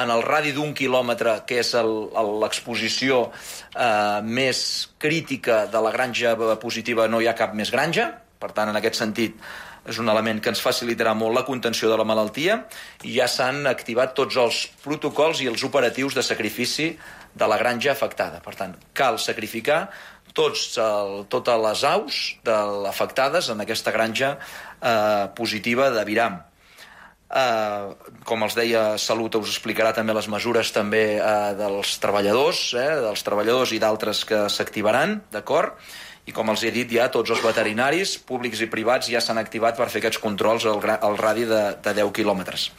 en el radi d'un quilòmetre, que és l'exposició eh, més crítica de la granja positiva, no hi ha cap més granja. Per tant, en aquest sentit, és un element que ens facilitarà molt la contenció de la malaltia i ja s'han activat tots els protocols i els operatius de sacrifici de la granja afectada. Per tant, cal sacrificar tots el, totes les aus de, afectades en aquesta granja eh, positiva d'Aviram. Eh, com els deia, Salut us explicarà també les mesures també eh, dels treballadors, eh, dels treballadors i d'altres que s'activaran, d'acord? i com els he dit ja tots els veterinaris públics i privats ja s'han activat per fer aquests controls al, al radi de, de deu quilòmetres.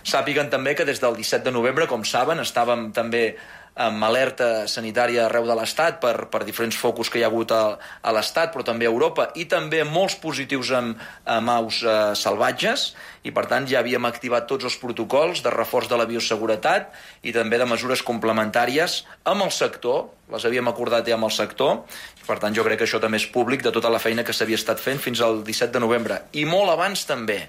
Sàpiguen també que des del disset de novembre, com saben, estàvem també amb alerta sanitària arreu de l'Estat per, per diferents focus que hi ha hagut a, a l'Estat, però també a Europa, i també molts positius amb, amb aus eh, salvatges, i per tant ja havíem activat tots els protocols de reforç de la bioseguretat i també de mesures complementàries amb el sector, les havíem acordat ja amb el sector, i per tant jo crec que això també és públic de tota la feina que s'havia estat fent fins al disset de novembre, i molt abans també.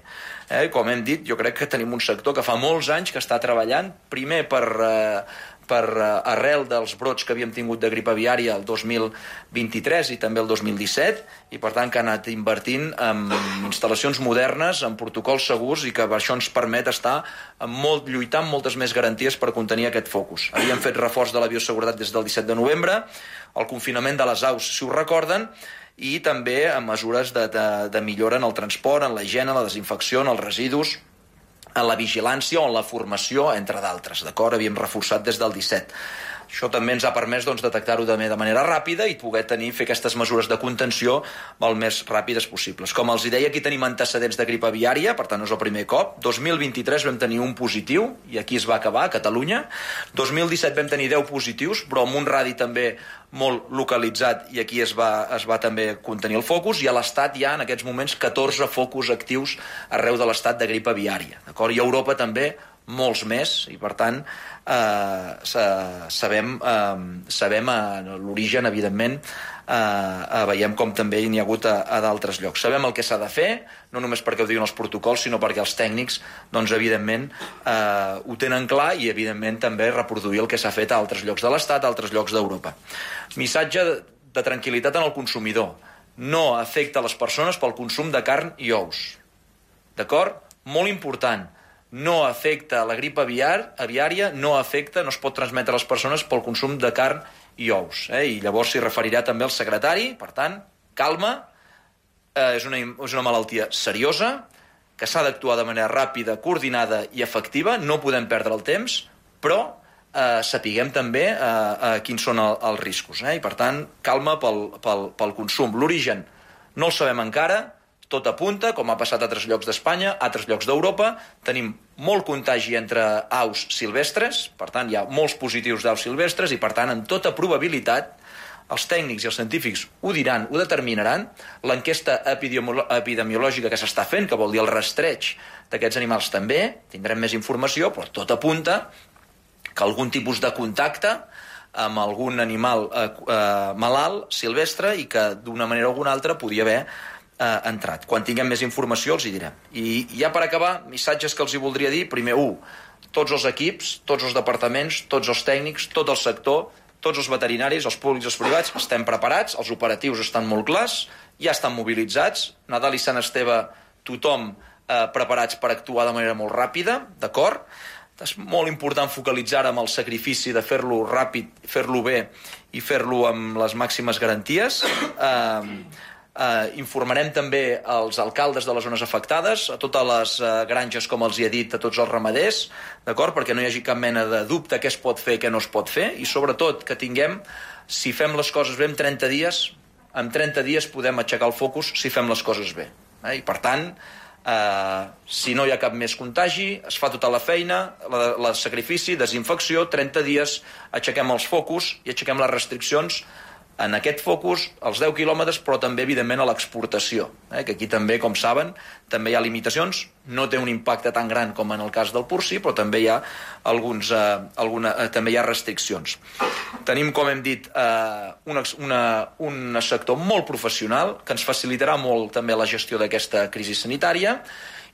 Eh? Com hem dit, jo crec que tenim un sector que fa molts anys que està treballant, primer per... Eh, per uh, arrel dels brots que havíem tingut de grip aviària el dos mil vint-i-tres i també el dos mil disset, i per tant que ha anat invertint en instal·lacions modernes, en protocols segurs, i que això ens permet estar en molt, lluitar amb moltes més garanties per contenir aquest focus. Havíem fet reforç de la bioseguretat des del disset de novembre, el confinament de les aus, si ho recorden, i també amb mesures de, de, de millora en el transport, en la higiene, la desinfecció, en els residus, en la vigilància o en la formació, entre d'altres, d'acord? Havíem reforçat des del disset. Això també ens ha permès doncs, detectar-ho també de manera ràpida i poder tenir, fer aquestes mesures de contenció el més ràpides possibles. Com els deia, aquí tenim antecedents de grip aviària, per tant no és el primer cop. dos mil vint-i-tres vam tenir un positiu, i aquí es va acabar, a Catalunya. dos mil disset vam tenir deu positius, però amb un radi també molt localitzat, i aquí es va, es va també contenir el focus, i a l'Estat hi ha en aquests moments catorze focus actius arreu de l'Estat de grip aviària, d'acord? I a Europa també molts més, i per tant eh, sabem, eh, sabem eh, l'origen, evidentment, eh, eh, veiem com també n'hi ha hagut a, a d'altres llocs. Sabem el que s'ha de fer, no només perquè ho diuen els protocols, sinó perquè els tècnics, doncs, evidentment, eh, ho tenen clar, i, evidentment, també reproduir el que s'ha fet a altres llocs de l'Estat, a altres llocs d'Europa. Missatge de tranquil·litat en el consumidor. No afecta les persones pel consum de carn i ous. D'acord? Molt important. No afecta la grip aviar, aviària, no afecta, no es pot transmetre a les persones pel consum de carn i ous. Eh? I llavors s'hi referirà també el secretari, per tant, calma, eh, és, una, és una malaltia seriosa, que s'ha d'actuar de manera ràpida, coordinada i efectiva, no podem perdre el temps, però eh, sapiguem també eh, eh, quins són el, els riscos. Eh? I per tant, calma pel, pel, pel consum. L'origen no el sabem encara, tot apunta, com ha passat a altres llocs d'Espanya, a altres llocs d'Europa. Tenim molt contagi entre aus silvestres, per tant hi ha molts positius d'aus silvestres, i per tant, amb tota probabilitat, els tècnics i els científics ho diran, ho determinaran. L'enquesta epidemiològica que s'està fent, que vol dir el rastreig d'aquests animals també, tindrem més informació, però tot apunta que algun tipus de contacte amb algun animal eh, eh, malalt, silvestre, i que d'una manera o alguna altra podia haver eh, entrat. Quan tinguem més informació els hi direm. I ja per acabar, missatges que els hi voldria dir. Primer, un, tots els equips, tots els departaments, tots els tècnics, tot el sector, tots els veterinaris, els públics i els privats, estem preparats, els operatius estan molt clars, ja estan mobilitzats, Nadal i Sant Esteve, tothom eh, preparats per actuar de manera molt ràpida, d'acord? És molt important focalitzar amb el sacrifici de fer-lo ràpid, fer-lo bé i fer-lo amb les màximes garanties. Eh, eh, informarem també als alcaldes de les zones afectades, a totes les eh, granges, com els hi he dit, a tots els ramaders, d'acord? Perquè no hi hagi cap mena de dubte què es pot fer i què no es pot fer, i sobretot que tinguem, si fem les coses bé en trenta dies, en trenta dies podem aixecar el focus si fem les coses bé. Eh? I per tant, Uh, si no hi ha cap més contagi, es fa tota la feina, el sacrifici, desinfecció, trenta dies, aixequem els focus i aixequem les restriccions en aquest focus, als deu quilòmetres, però també, evidentment, a l'exportació, eh? Que aquí també, com saben, també hi ha limitacions, no té un impacte tan gran com en el cas del porcí, però també hi ha alguns, eh, alguna, eh, també hi ha restriccions. Tenim, com hem dit, eh, una, una, un sector molt professional que ens facilitarà molt també la gestió d'aquesta crisi sanitària,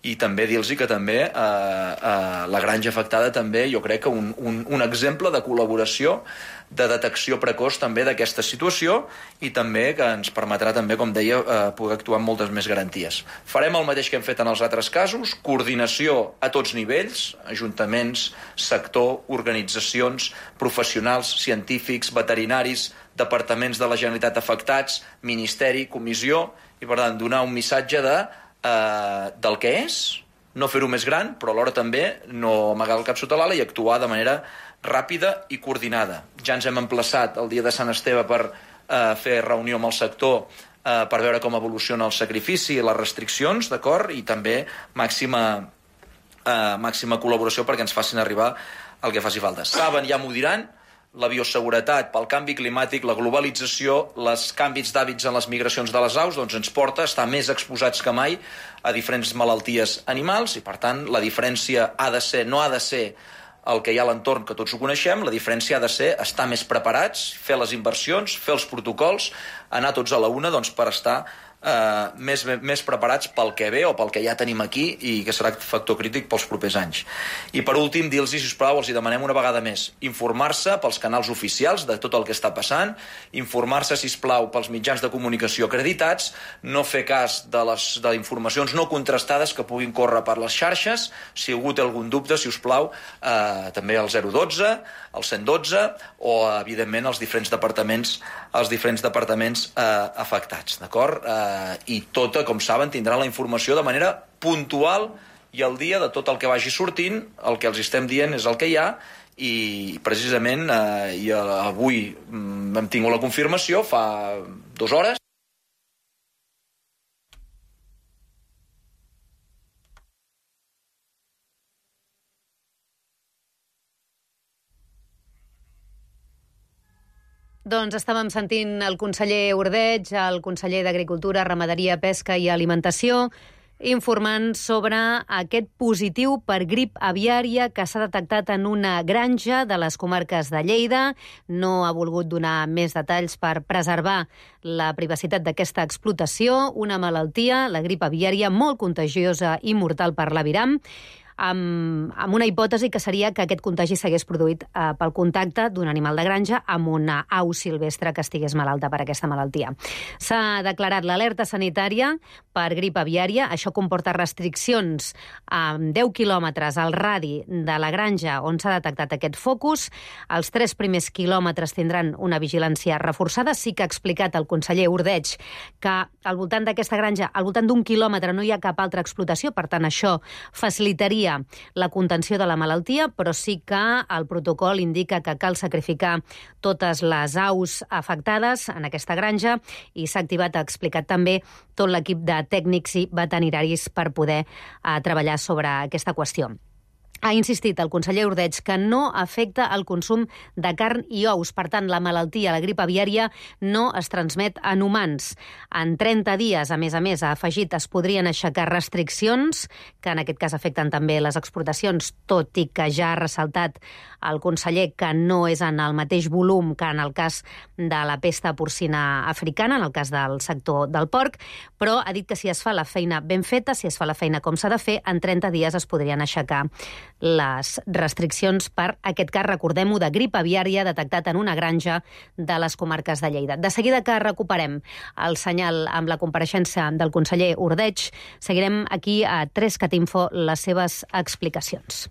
i també dir-los que també eh, eh, la granja afectada també, jo crec que un, un, un exemple de col·laboració, de detecció precoç també d'aquesta situació, i també que ens permetrà també, com deia, eh, poder actuar amb moltes més garanties. Farem el mateix que hem fet en els altres casos, coordinació a tots nivells, ajuntaments, sector, organitzacions, professionals, científics, veterinaris, departaments de la Generalitat afectats, ministeri, comissió, i per tant donar un missatge de Uh, del que és, no fer-ho més gran, però alhora també no amagar el cap sota l'ala i actuar de manera ràpida i coordinada. Ja ens hem emplaçat el dia de Sant Esteve per eh, fer reunió amb el sector eh, per veure com evoluciona el sacrifici i les restriccions, d'acord? I també màxima, eh, màxima col·laboració perquè ens facin arribar el que faci falta. Saben, ja m'ho diran, la bioseguretat pel canvi climàtic, la globalització, els canvis d'hàbits en les migracions de les aus, doncs ens porta a estar més exposats que mai a diferents malalties animals i, per tant, la diferència ha de ser, no ha de ser el que hi ha a l'entorn, que tots ho coneixem, la diferència ha de ser estar més preparats, fer les inversions, fer els protocols, anar tots a la una doncs, per estar eh, més, més preparats pel que ve o pel que ja tenim aquí i que serà factor crític pels propers anys. I per últim, dir-los, sisplau, els hi demanem una vegada més, informar-se pels canals oficials de tot el que està passant, informar-se, sisplau, pels mitjans de comunicació acreditats, no fer cas de les de informacions no contrastades que puguin córrer per les xarxes. Si algú té algun dubte, si us plau, eh, també el zero dotze, el cent dotze o, evidentment, els diferents departaments, els diferents departaments eh, afectats, d'acord? Eh, i tota, com saben, tindran la informació de manera puntual i al dia de tot el que vagi sortint. El que els estem dient és el que hi ha i precisament eh, i avui mm, hem tingut la confirmació fa dues hores. Doncs estàvem sentint el conseller Ordeig, el conseller d'Agricultura, Ramaderia, Pesca i Alimentació, informant sobre aquest positiu per grip aviària que s'ha detectat en una granja de les comarques de Lleida. No ha volgut donar més detalls per preservar la privacitat d'aquesta explotació, una malaltia, la grip aviària, molt contagiosa i mortal per l'aviram, amb, amb una hipòtesi que seria que aquest contagi s'hagués produït eh, pel contacte d'un animal de granja amb una au silvestre que estigués malalta per aquesta malaltia. S'ha declarat l'alerta sanitària per grip aviària. Això comporta restriccions a deu quilòmetres al radi de la granja on s'ha detectat aquest focus. Els tres primers quilòmetres tindran una vigilància reforçada. Sí que ha explicat el conseller Ordeig que al voltant d'aquesta granja, al voltant d'un quilòmetre, no hi ha cap altra explotació, per tant això facilitaria la contenció de la malaltia, però sí que el protocol indica que cal sacrificar totes les aus afectades en aquesta granja i s'ha activat, ha explicat també, tot l'equip de tècnics i veterinaris per poder eh, treballar sobre aquesta qüestió. Ha insistit el conseller Ordeig que no afecta el consum de carn i ous. Per tant, la malaltia, la grip aviària, no es transmet en humans. En trenta dies, a més a més, ha afegit, es podrien aixecar restriccions, que en aquest cas afecten també les exportacions, tot i que ja ha ressaltat el conseller que no és en el mateix volum que en el cas de la pesta porcina africana, en el cas del sector del porc, però ha dit que si es fa la feina ben feta, si es fa la feina com s'ha de fer, en trenta dies es podrien aixecar les restriccions per aquest cas, recordem-ho, de grip aviària detectat en una granja de les comarques de Lleida. De seguida que recuperem el senyal amb la compareixença del conseller Ordeig, seguirem aquí a tres cat info les seves explicacions.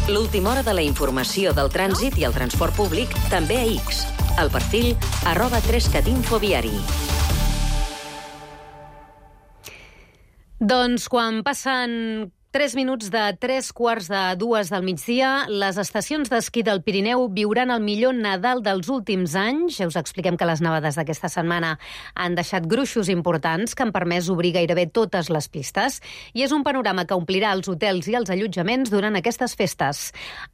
L'última hora de la informació del trànsit i el transport públic també a X. El perfil arroba tres cat info viari. Doncs quan passen tres minuts de tres quarts de dues del migdia, les estacions d'esquí del Pirineu viuran el millor Nadal dels últims anys. Ja us expliquem que les nevades d'aquesta setmana han deixat gruixos importants que han permès obrir gairebé totes les pistes i és un panorama que omplirà els hotels i els allotjaments durant aquestes festes.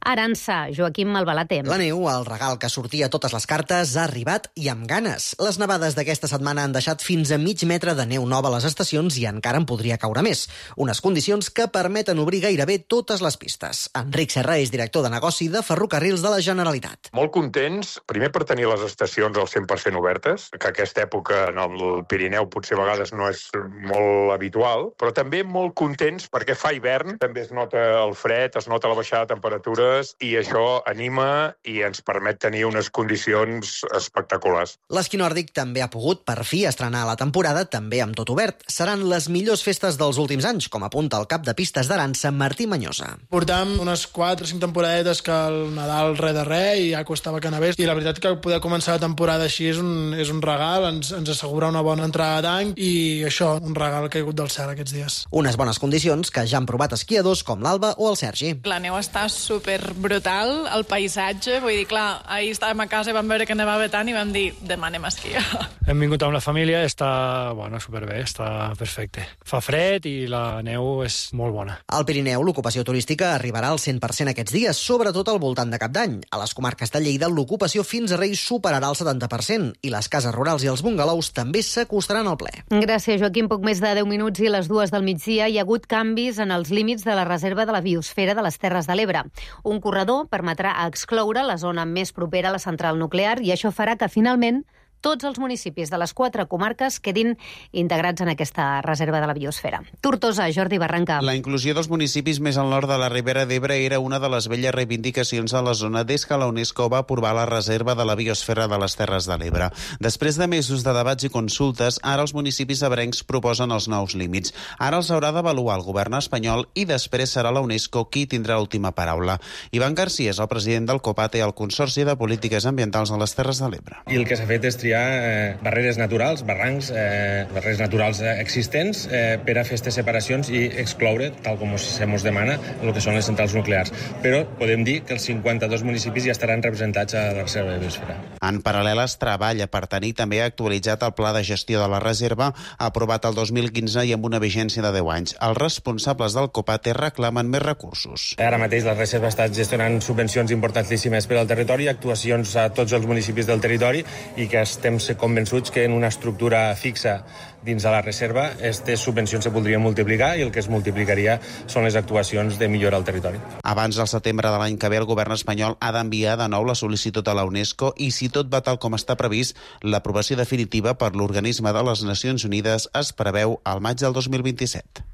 Arança, Joaquim Malbalatem. La neu, el regal que sortia a totes les cartes, ha arribat i amb ganes. Les nevades d'aquesta setmana han deixat fins a mig metre de neu nova a les estacions i encara en podria caure més. Unes condicions que per permeten obrir gairebé totes les pistes. Enric Serra és director de negoci de Ferrocarrils de la Generalitat. Molt contents, primer per tenir les estacions al cent per cent obertes, que aquesta època en el Pirineu potser a vegades no és molt habitual, però també molt contents perquè fa hivern, també es nota el fred, es nota la baixada de temperatures i això anima i ens permet tenir unes condicions espectaculars. L'esquí nòrdic també ha pogut, per fi, estrenar la temporada també amb tot obert. Seran les millors festes dels últims anys, com apunta el cap de pista Festes d'Arança, Martí Manyosa. Portam unes quatre o cinc temporadetes que el Nadal res de res i ja costava que anés. I la veritat que poder començar la temporada així és un, és un regal, ens, ens assegura una bona entrada d'any i això, un regal caigut del cel aquests dies. Unes bones condicions que ja han provat esquiadors com l'Alba o el Sergi. La neu està super brutal, el paisatge, vull dir, clar, ahir estàvem a casa i vam veure que nevava tant i vam dir, demà anem a esquiar. Hem vingut amb la família, està, bueno, superbé, està perfecte. Fa fred i la neu és molt bona. Al Pirineu, l'ocupació turística arribarà al cent per cent aquests dies, sobretot al voltant de Cap d'Any. A les comarques de Lleida, l'ocupació fins a Reis superarà el setanta per cent i les cases rurals i els bungalows també s'acostaran al ple. Gràcies, Joaquim. Poc més de deu minuts i les dues del migdia hi ha hagut canvis en els límits de la reserva de la biosfera de les Terres de l'Ebre. Un corredor permetrà excloure la zona més propera a la central nuclear i això farà que finalment tots els municipis de les quatre comarques quedin integrats en aquesta reserva de la biosfera. Tortosa, Jordi Barranca. La inclusió dels municipis més al nord de la Ribera d'Ebre era una de les velles reivindicacions de la zona des que la UNESCO va aprovar la reserva de la biosfera de les Terres de l'Ebre. Després de mesos de debats i consultes, ara els municipis ebrencs proposen els nous límits. Ara els haurà d'avaluar el govern espanyol i després serà la UNESCO qui tindrà l'última paraula. Ivan García és el president del COPATE, el Consorci de Polítiques Ambientals de les Terres de l'Ebre. I el que s'ha fet és triar eh, barreres naturals, barrancs, eh, barreres naturals eh, existents eh, per a fer aquestes separacions i excloure, tal com se mos demana, el que són les centrals nuclears. Però podem dir que els cinquanta-dos municipis ja estaran representats a la reserva de biosfera. En paral·lel es treballa per tenir també actualitzat el pla de gestió de la reserva aprovat el dos mil quinze i amb una vigència de deu anys. Els responsables del COPATE reclamen més recursos. Ara mateix la reserva està gestionant subvencions importantíssimes per al territori, actuacions a tots els municipis del territori i que estem convençuts que en una estructura fixa dins de la reserva aquestes subvencions se podrien multiplicar i el que es multiplicaria són les actuacions de millora al territori. Abans del setembre de l'any que ve el govern espanyol ha d'enviar de nou la sol·licitud a la UNESCO i si tot va tal com està previst, l'aprovació definitiva per l'organisme de les Nacions Unides es preveu al maig del dos mil vint-i-set.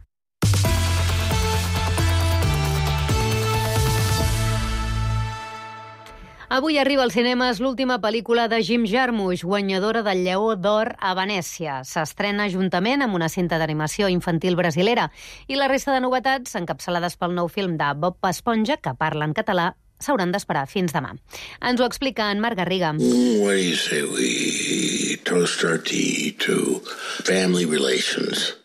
Avui arriba als cinemes l'última pel·lícula de Jim Jarmusch, guanyadora del Lleó d'Or a Venècia. S'estrena juntament amb una cinta d'animació infantil brasilera i la resta de novetats, encapçalades pel nou film de Bob Esponja, que parla en català, s'hauran d'esperar fins demà. Ens ho explica en Marc Garriga. What do you say we toast our tea to family relations?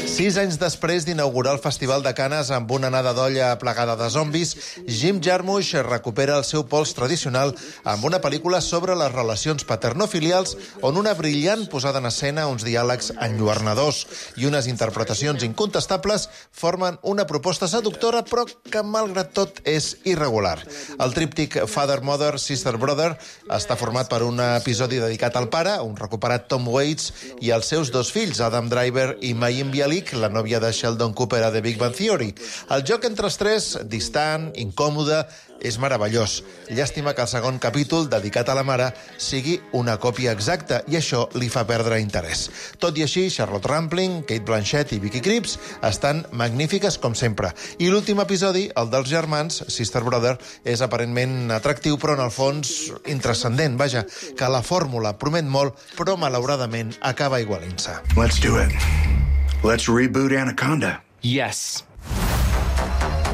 Sis anys després d'inaugurar el Festival de Canes amb una nada d'olla plegada de zombis, Jim Jarmusch recupera el seu pols tradicional amb una pel·lícula sobre les relacions paternofilials on una brillant posada en escena, uns diàlegs enlluernadors i unes interpretacions incontestables formen una proposta seductora però que, malgrat tot, és irregular. El tríptic Father, Mother, Sister, Brother està format per un episodi dedicat al pare, un recuperat Tom Waits, i els seus dos fills, Adam Driver i Mayim Bialik, la nòvia de Sheldon Cooper a The Big Bang Theory. El joc entre els tres, distant, incòmode, és meravellós. Llàstima que el segon capítol, dedicat a la mare, sigui una còpia exacta i això li fa perdre interès. Tot i així, Charlotte Rampling, Kate Blanchett i Vicky Krieps estan magnífiques com sempre. I l'últim episodi, el dels germans, Sister Brother, és aparentment atractiu però en el fons intranscendent. Vaja, que la fórmula promet molt però malauradament acaba igualint-se. Let's do it. Let's reboot Anaconda. Yes.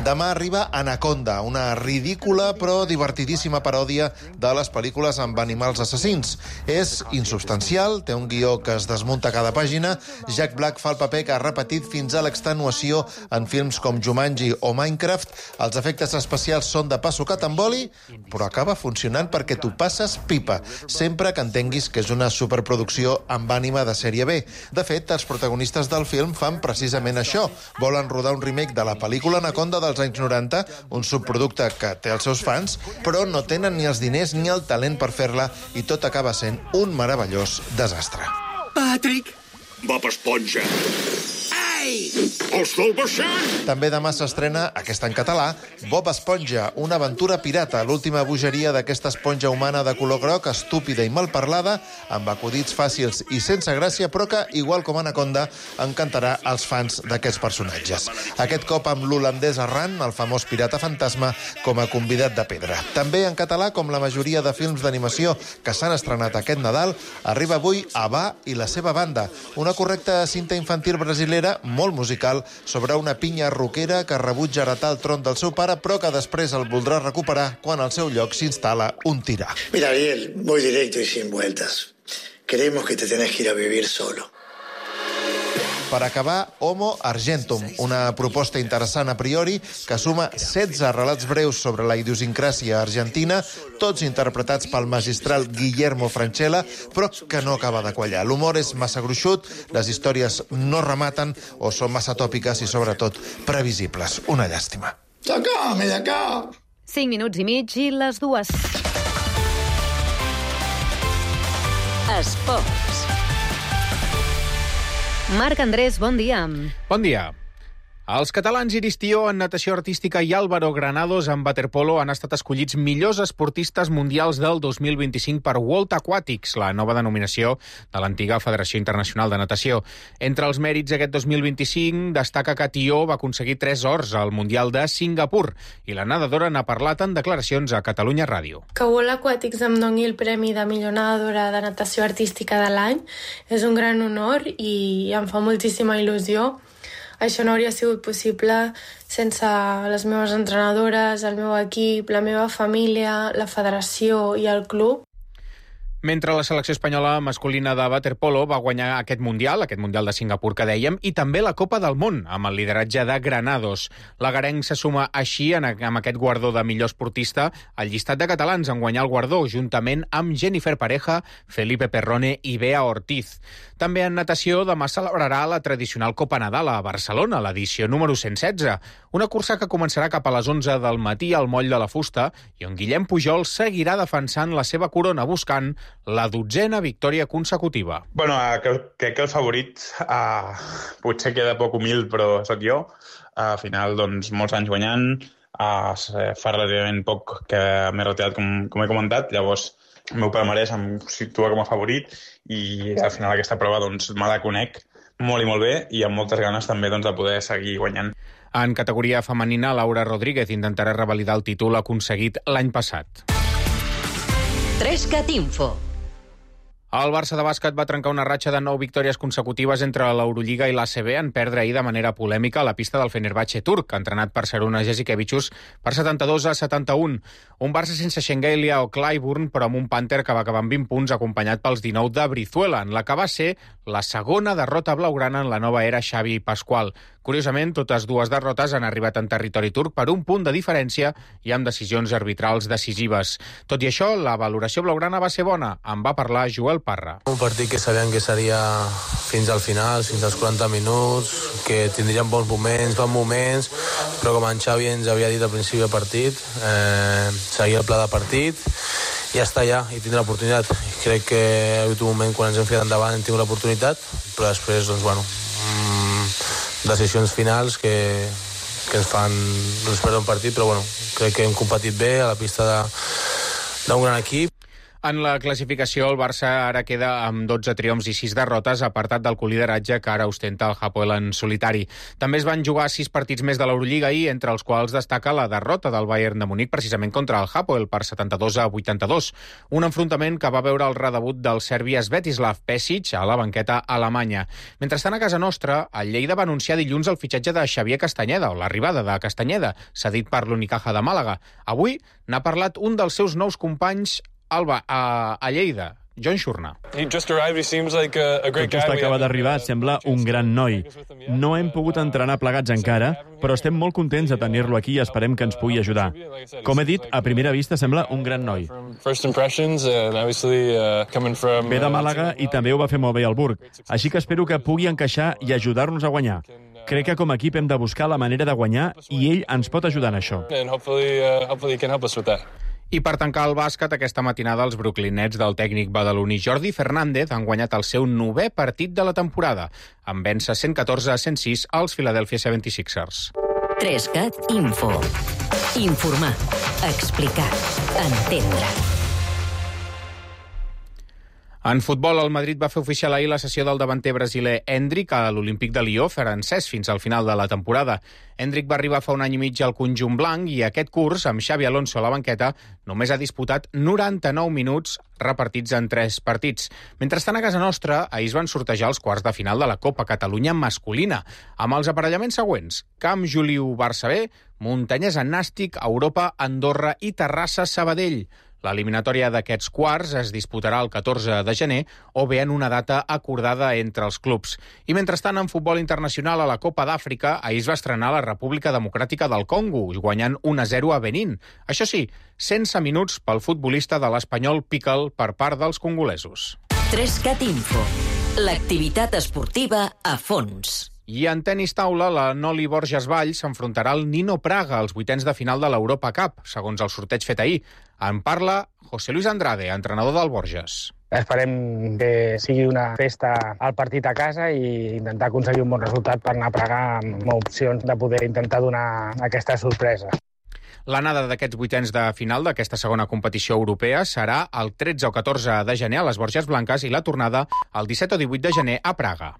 Demà arriba Anaconda, una ridícula però divertidíssima paròdia de les pel·lícules amb animals assassins. És insubstancial, té un guió que es desmunta cada pàgina. Jack Black fa el paper que ha repetit fins a l'extenuació en films com Jumanji o Minecraft. Els efectes especials són de pa sucat amb oli, però acaba funcionant perquè tu passes pipa, sempre que entenguis que és una superproducció amb ànima de sèrie B. De fet, els protagonistes del film fan precisament això. Volen rodar un remake de la pel·lícula Anaconda dels anys noranta, un subproducte que té els seus fans, però no tenen ni els diners ni el talent per fer-la i tot acaba sent un meravellós desastre. Patrick! Bob Esponja! Ei! Els del baixant! També demà s'estrena, aquesta en català, Bob Esponja, una aventura pirata, l'última bogeria d'aquesta esponja humana de color groc, estúpida i malparlada, amb acudits fàcils i sense gràcia, però que, igual com Anaconda, encantarà als fans d'aquests personatges. Aquest cop amb l'holandès Arran, el famós pirata fantasma, com a convidat de pedra. També en català, com la majoria de films d'animació que s'han estrenat aquest Nadal, arriba avui Abba i la seva banda, una correcta cinta infantil brasilera molt musical sobre una pinya roquera que rebutja heretar el tron del seu pare, però que després el voldrà recuperar quan al seu lloc s'instal·la un tirà. Mira, Ariel, voy directo y sin vueltas. Creemos que te tenés que ir a vivir solo. Per acabar, Homo Argentum, una proposta interessant a priori que suma setze relats breus sobre la idiosincràsia argentina, tots interpretats pel magistral Guillermo Francella, però que no acaba de quallar. L'humor és massa gruixut, les històries no rematen o són massa tòpiques i, sobretot, previsibles. Una llàstima. Sacame de acá! Cinc minuts i mig i les dues. Esports. Marc Andrés, bon dia. Bon dia. Els catalans Iris Tió en natació artística i Álvaro Granados en waterpolo han estat escollits millors esportistes mundials del dos mil vint-i-cinc per World Aquatics, la nova denominació de l'antiga Federació Internacional de Natació. Entre els mèrits aquest dos mil vint-i-cinc destaca que Tió va aconseguir tres ors al Mundial de Singapur i la nedadora n'ha parlat en declaracions a Catalunya Ràdio. Que World Aquatics em doni el premi de millor nedadora de natació artística de l'any és un gran honor i em fa moltíssima il·lusió. Això no hauria sigut possible sense les meves entrenadores, el meu equip, la meva família, la federació i el club. Mentre la selecció espanyola masculina de waterpolo va guanyar aquest Mundial, aquest Mundial de Singapur que dèiem, i també la Copa del Món, amb el lideratge de Granados. L'agarenc se suma així en, amb aquest guardó de millor esportista al llistat de catalans en guanyar el guardó, juntament amb Jennifer Pareja, Felipe Perrone i Bea Ortiz. També en natació demà celebrarà la tradicional Copa Nadal a Barcelona, l'edició número cent setze, una cursa que començarà cap a les onze del matí al Moll de la Fusta i on Guillem Pujol seguirà defensant la seva corona buscant la dotzena victòria consecutiva. Bueno, crec que el favorit uh, potser queda poc humil, però sóc jo. Uh, al final, doncs, molts anys guanyant, uh, fa relativament poc que m'he retirat, com, com he comentat, llavors el meu palmarès em situa com a favorit i al final aquesta prova doncs, me la conec molt i molt bé i amb moltes ganes també doncs, de poder seguir guanyant. En categoria femenina, Laura Rodríguez intentarà revalidar el títol aconseguit l'any passat. Trescat Info. El Barça de bàsquet va trencar una ratxa de nou victòries consecutives entre l'Eurolliga i l'A C B en perdre ahir de manera polèmica a la pista del Fenerbahçe turc, entrenat per Šarūnas Jasikevičius per setanta-dos a setanta-un. Un Barça sense Shengelia o Clyburn, però amb un Panther que va acabar amb vint punts, acompanyat pels dinou de Brizuela, en la que va ser la segona derrota blaugrana en la nova era Xavi Pasqual. Curiosament, totes dues derrotes han arribat en territori turc per un punt de diferència i amb decisions arbitrals decisives. Tot i això, la valoració blaugrana va ser bona. En va parlar Joel Parra. Un partit que sabíem que seria fins al final, fins als quaranta minuts, que tindríem bons moments, bons moments, però com en Xavi ens havia dit al principi del partit, eh, seguir el pla de partit i ja està, ja, i tindre l'oportunitat. Crec que ha hagut un moment quan ens hem ficat endavant hem tingut l'oportunitat, però després, doncs, bueno, mmm, decisions finals que, que ens fan doncs, perdre un partit, però bueno, crec que hem competit bé a la pista d'un gran equip. En la classificació, el Barça ara queda amb dotze triomfs i sis derrotes, apartat del colideratge que ara ostenta el Hapoel en solitari. També es van jugar sis partits més de l'Eurolliga ahir, entre els quals destaca la derrota del Bayern de Munic precisament contra el Hapoel per setanta-dos a vuitanta-dos. Un enfrontament que va veure el redebut del serbi Svetislav Pesic a la banqueta alemanya. Mentrestant, a casa nostra, el Lleida va anunciar dilluns el fitxatge de Xavier Castanyeda, o l'arribada de Castanyeda, cedit per l'Unicaja de Màlaga. Avui n'ha parlat un dels seus nous companys Alba, a, a Lleida, John Xurna. Just acaba d'arribar, sembla un gran noi. No hem pogut entrenar plegats encara, però estem molt contents de tenir-lo aquí i esperem que ens pugui ajudar. Com he dit, a primera vista sembla un gran noi. Ve de Màlaga i també ho va fer molt bé al Burg, així que espero que pugui encaixar i ajudar-nos a guanyar. Crec que com a equip hem de buscar la manera de guanyar i ell ens pot ajudar en això. I per tancar el bàsquet, aquesta matinada els Brooklyn Nets del tècnic badaloní Jordi Fernández han guanyat el seu novè partit de la temporada, amb vèncer cent catorze a cent sis als Philadelphia setanta-sis ers. Trescat Info. Informar, explicar, entendre. En futbol, el Madrid va fer oficial ahir la cessió del davanter brasiler Endrick a l'Olímpic de Lió, francès, fins al final de la temporada. Endrick va arribar fa un any i mig al conjunt blanc i aquest curs, amb Xavi Alonso a la banqueta, només ha disputat noranta-nou minuts repartits en tres partits. Mentrestant, a casa nostra, ahir es van sortejar els quarts de final de la Copa Catalunya masculina, amb els aparellaments següents: Camp Juliu Barça B, Montanyesa Nàstic, Europa, Andorra i Terrassa Sabadell. L'eliminatòria d'aquests quarts es disputarà el catorze de gener o bé en una data acordada entre els clubs. I mentrestant, en futbol internacional a la Copa d'Àfrica, ahir es va estrenar la República Democràtica del Congo, guanyant un a zero a Benín. Això sí, sense minuts pel futbolista de l'Espanyol Piquel per part dels congolesos. Trescat Info. L'activitat esportiva a fons. I en tenis taula, la Noli Borges Valls s'enfrontarà al Nino Praga als vuitens de final de l'Europa Cup, segons el sorteig fet ahir. En parla José Luis Andrade, entrenador del Borges. Esperem que sigui una festa al partit a casa i intentar aconseguir un bon resultat per anar a Praga amb opcions de poder intentar donar aquesta sorpresa. L'anada d'aquests vuitens de final d'aquesta segona competició europea serà el tretze o catorze de gener a les Borges Blanques i la tornada el disset o divuit de gener a Praga.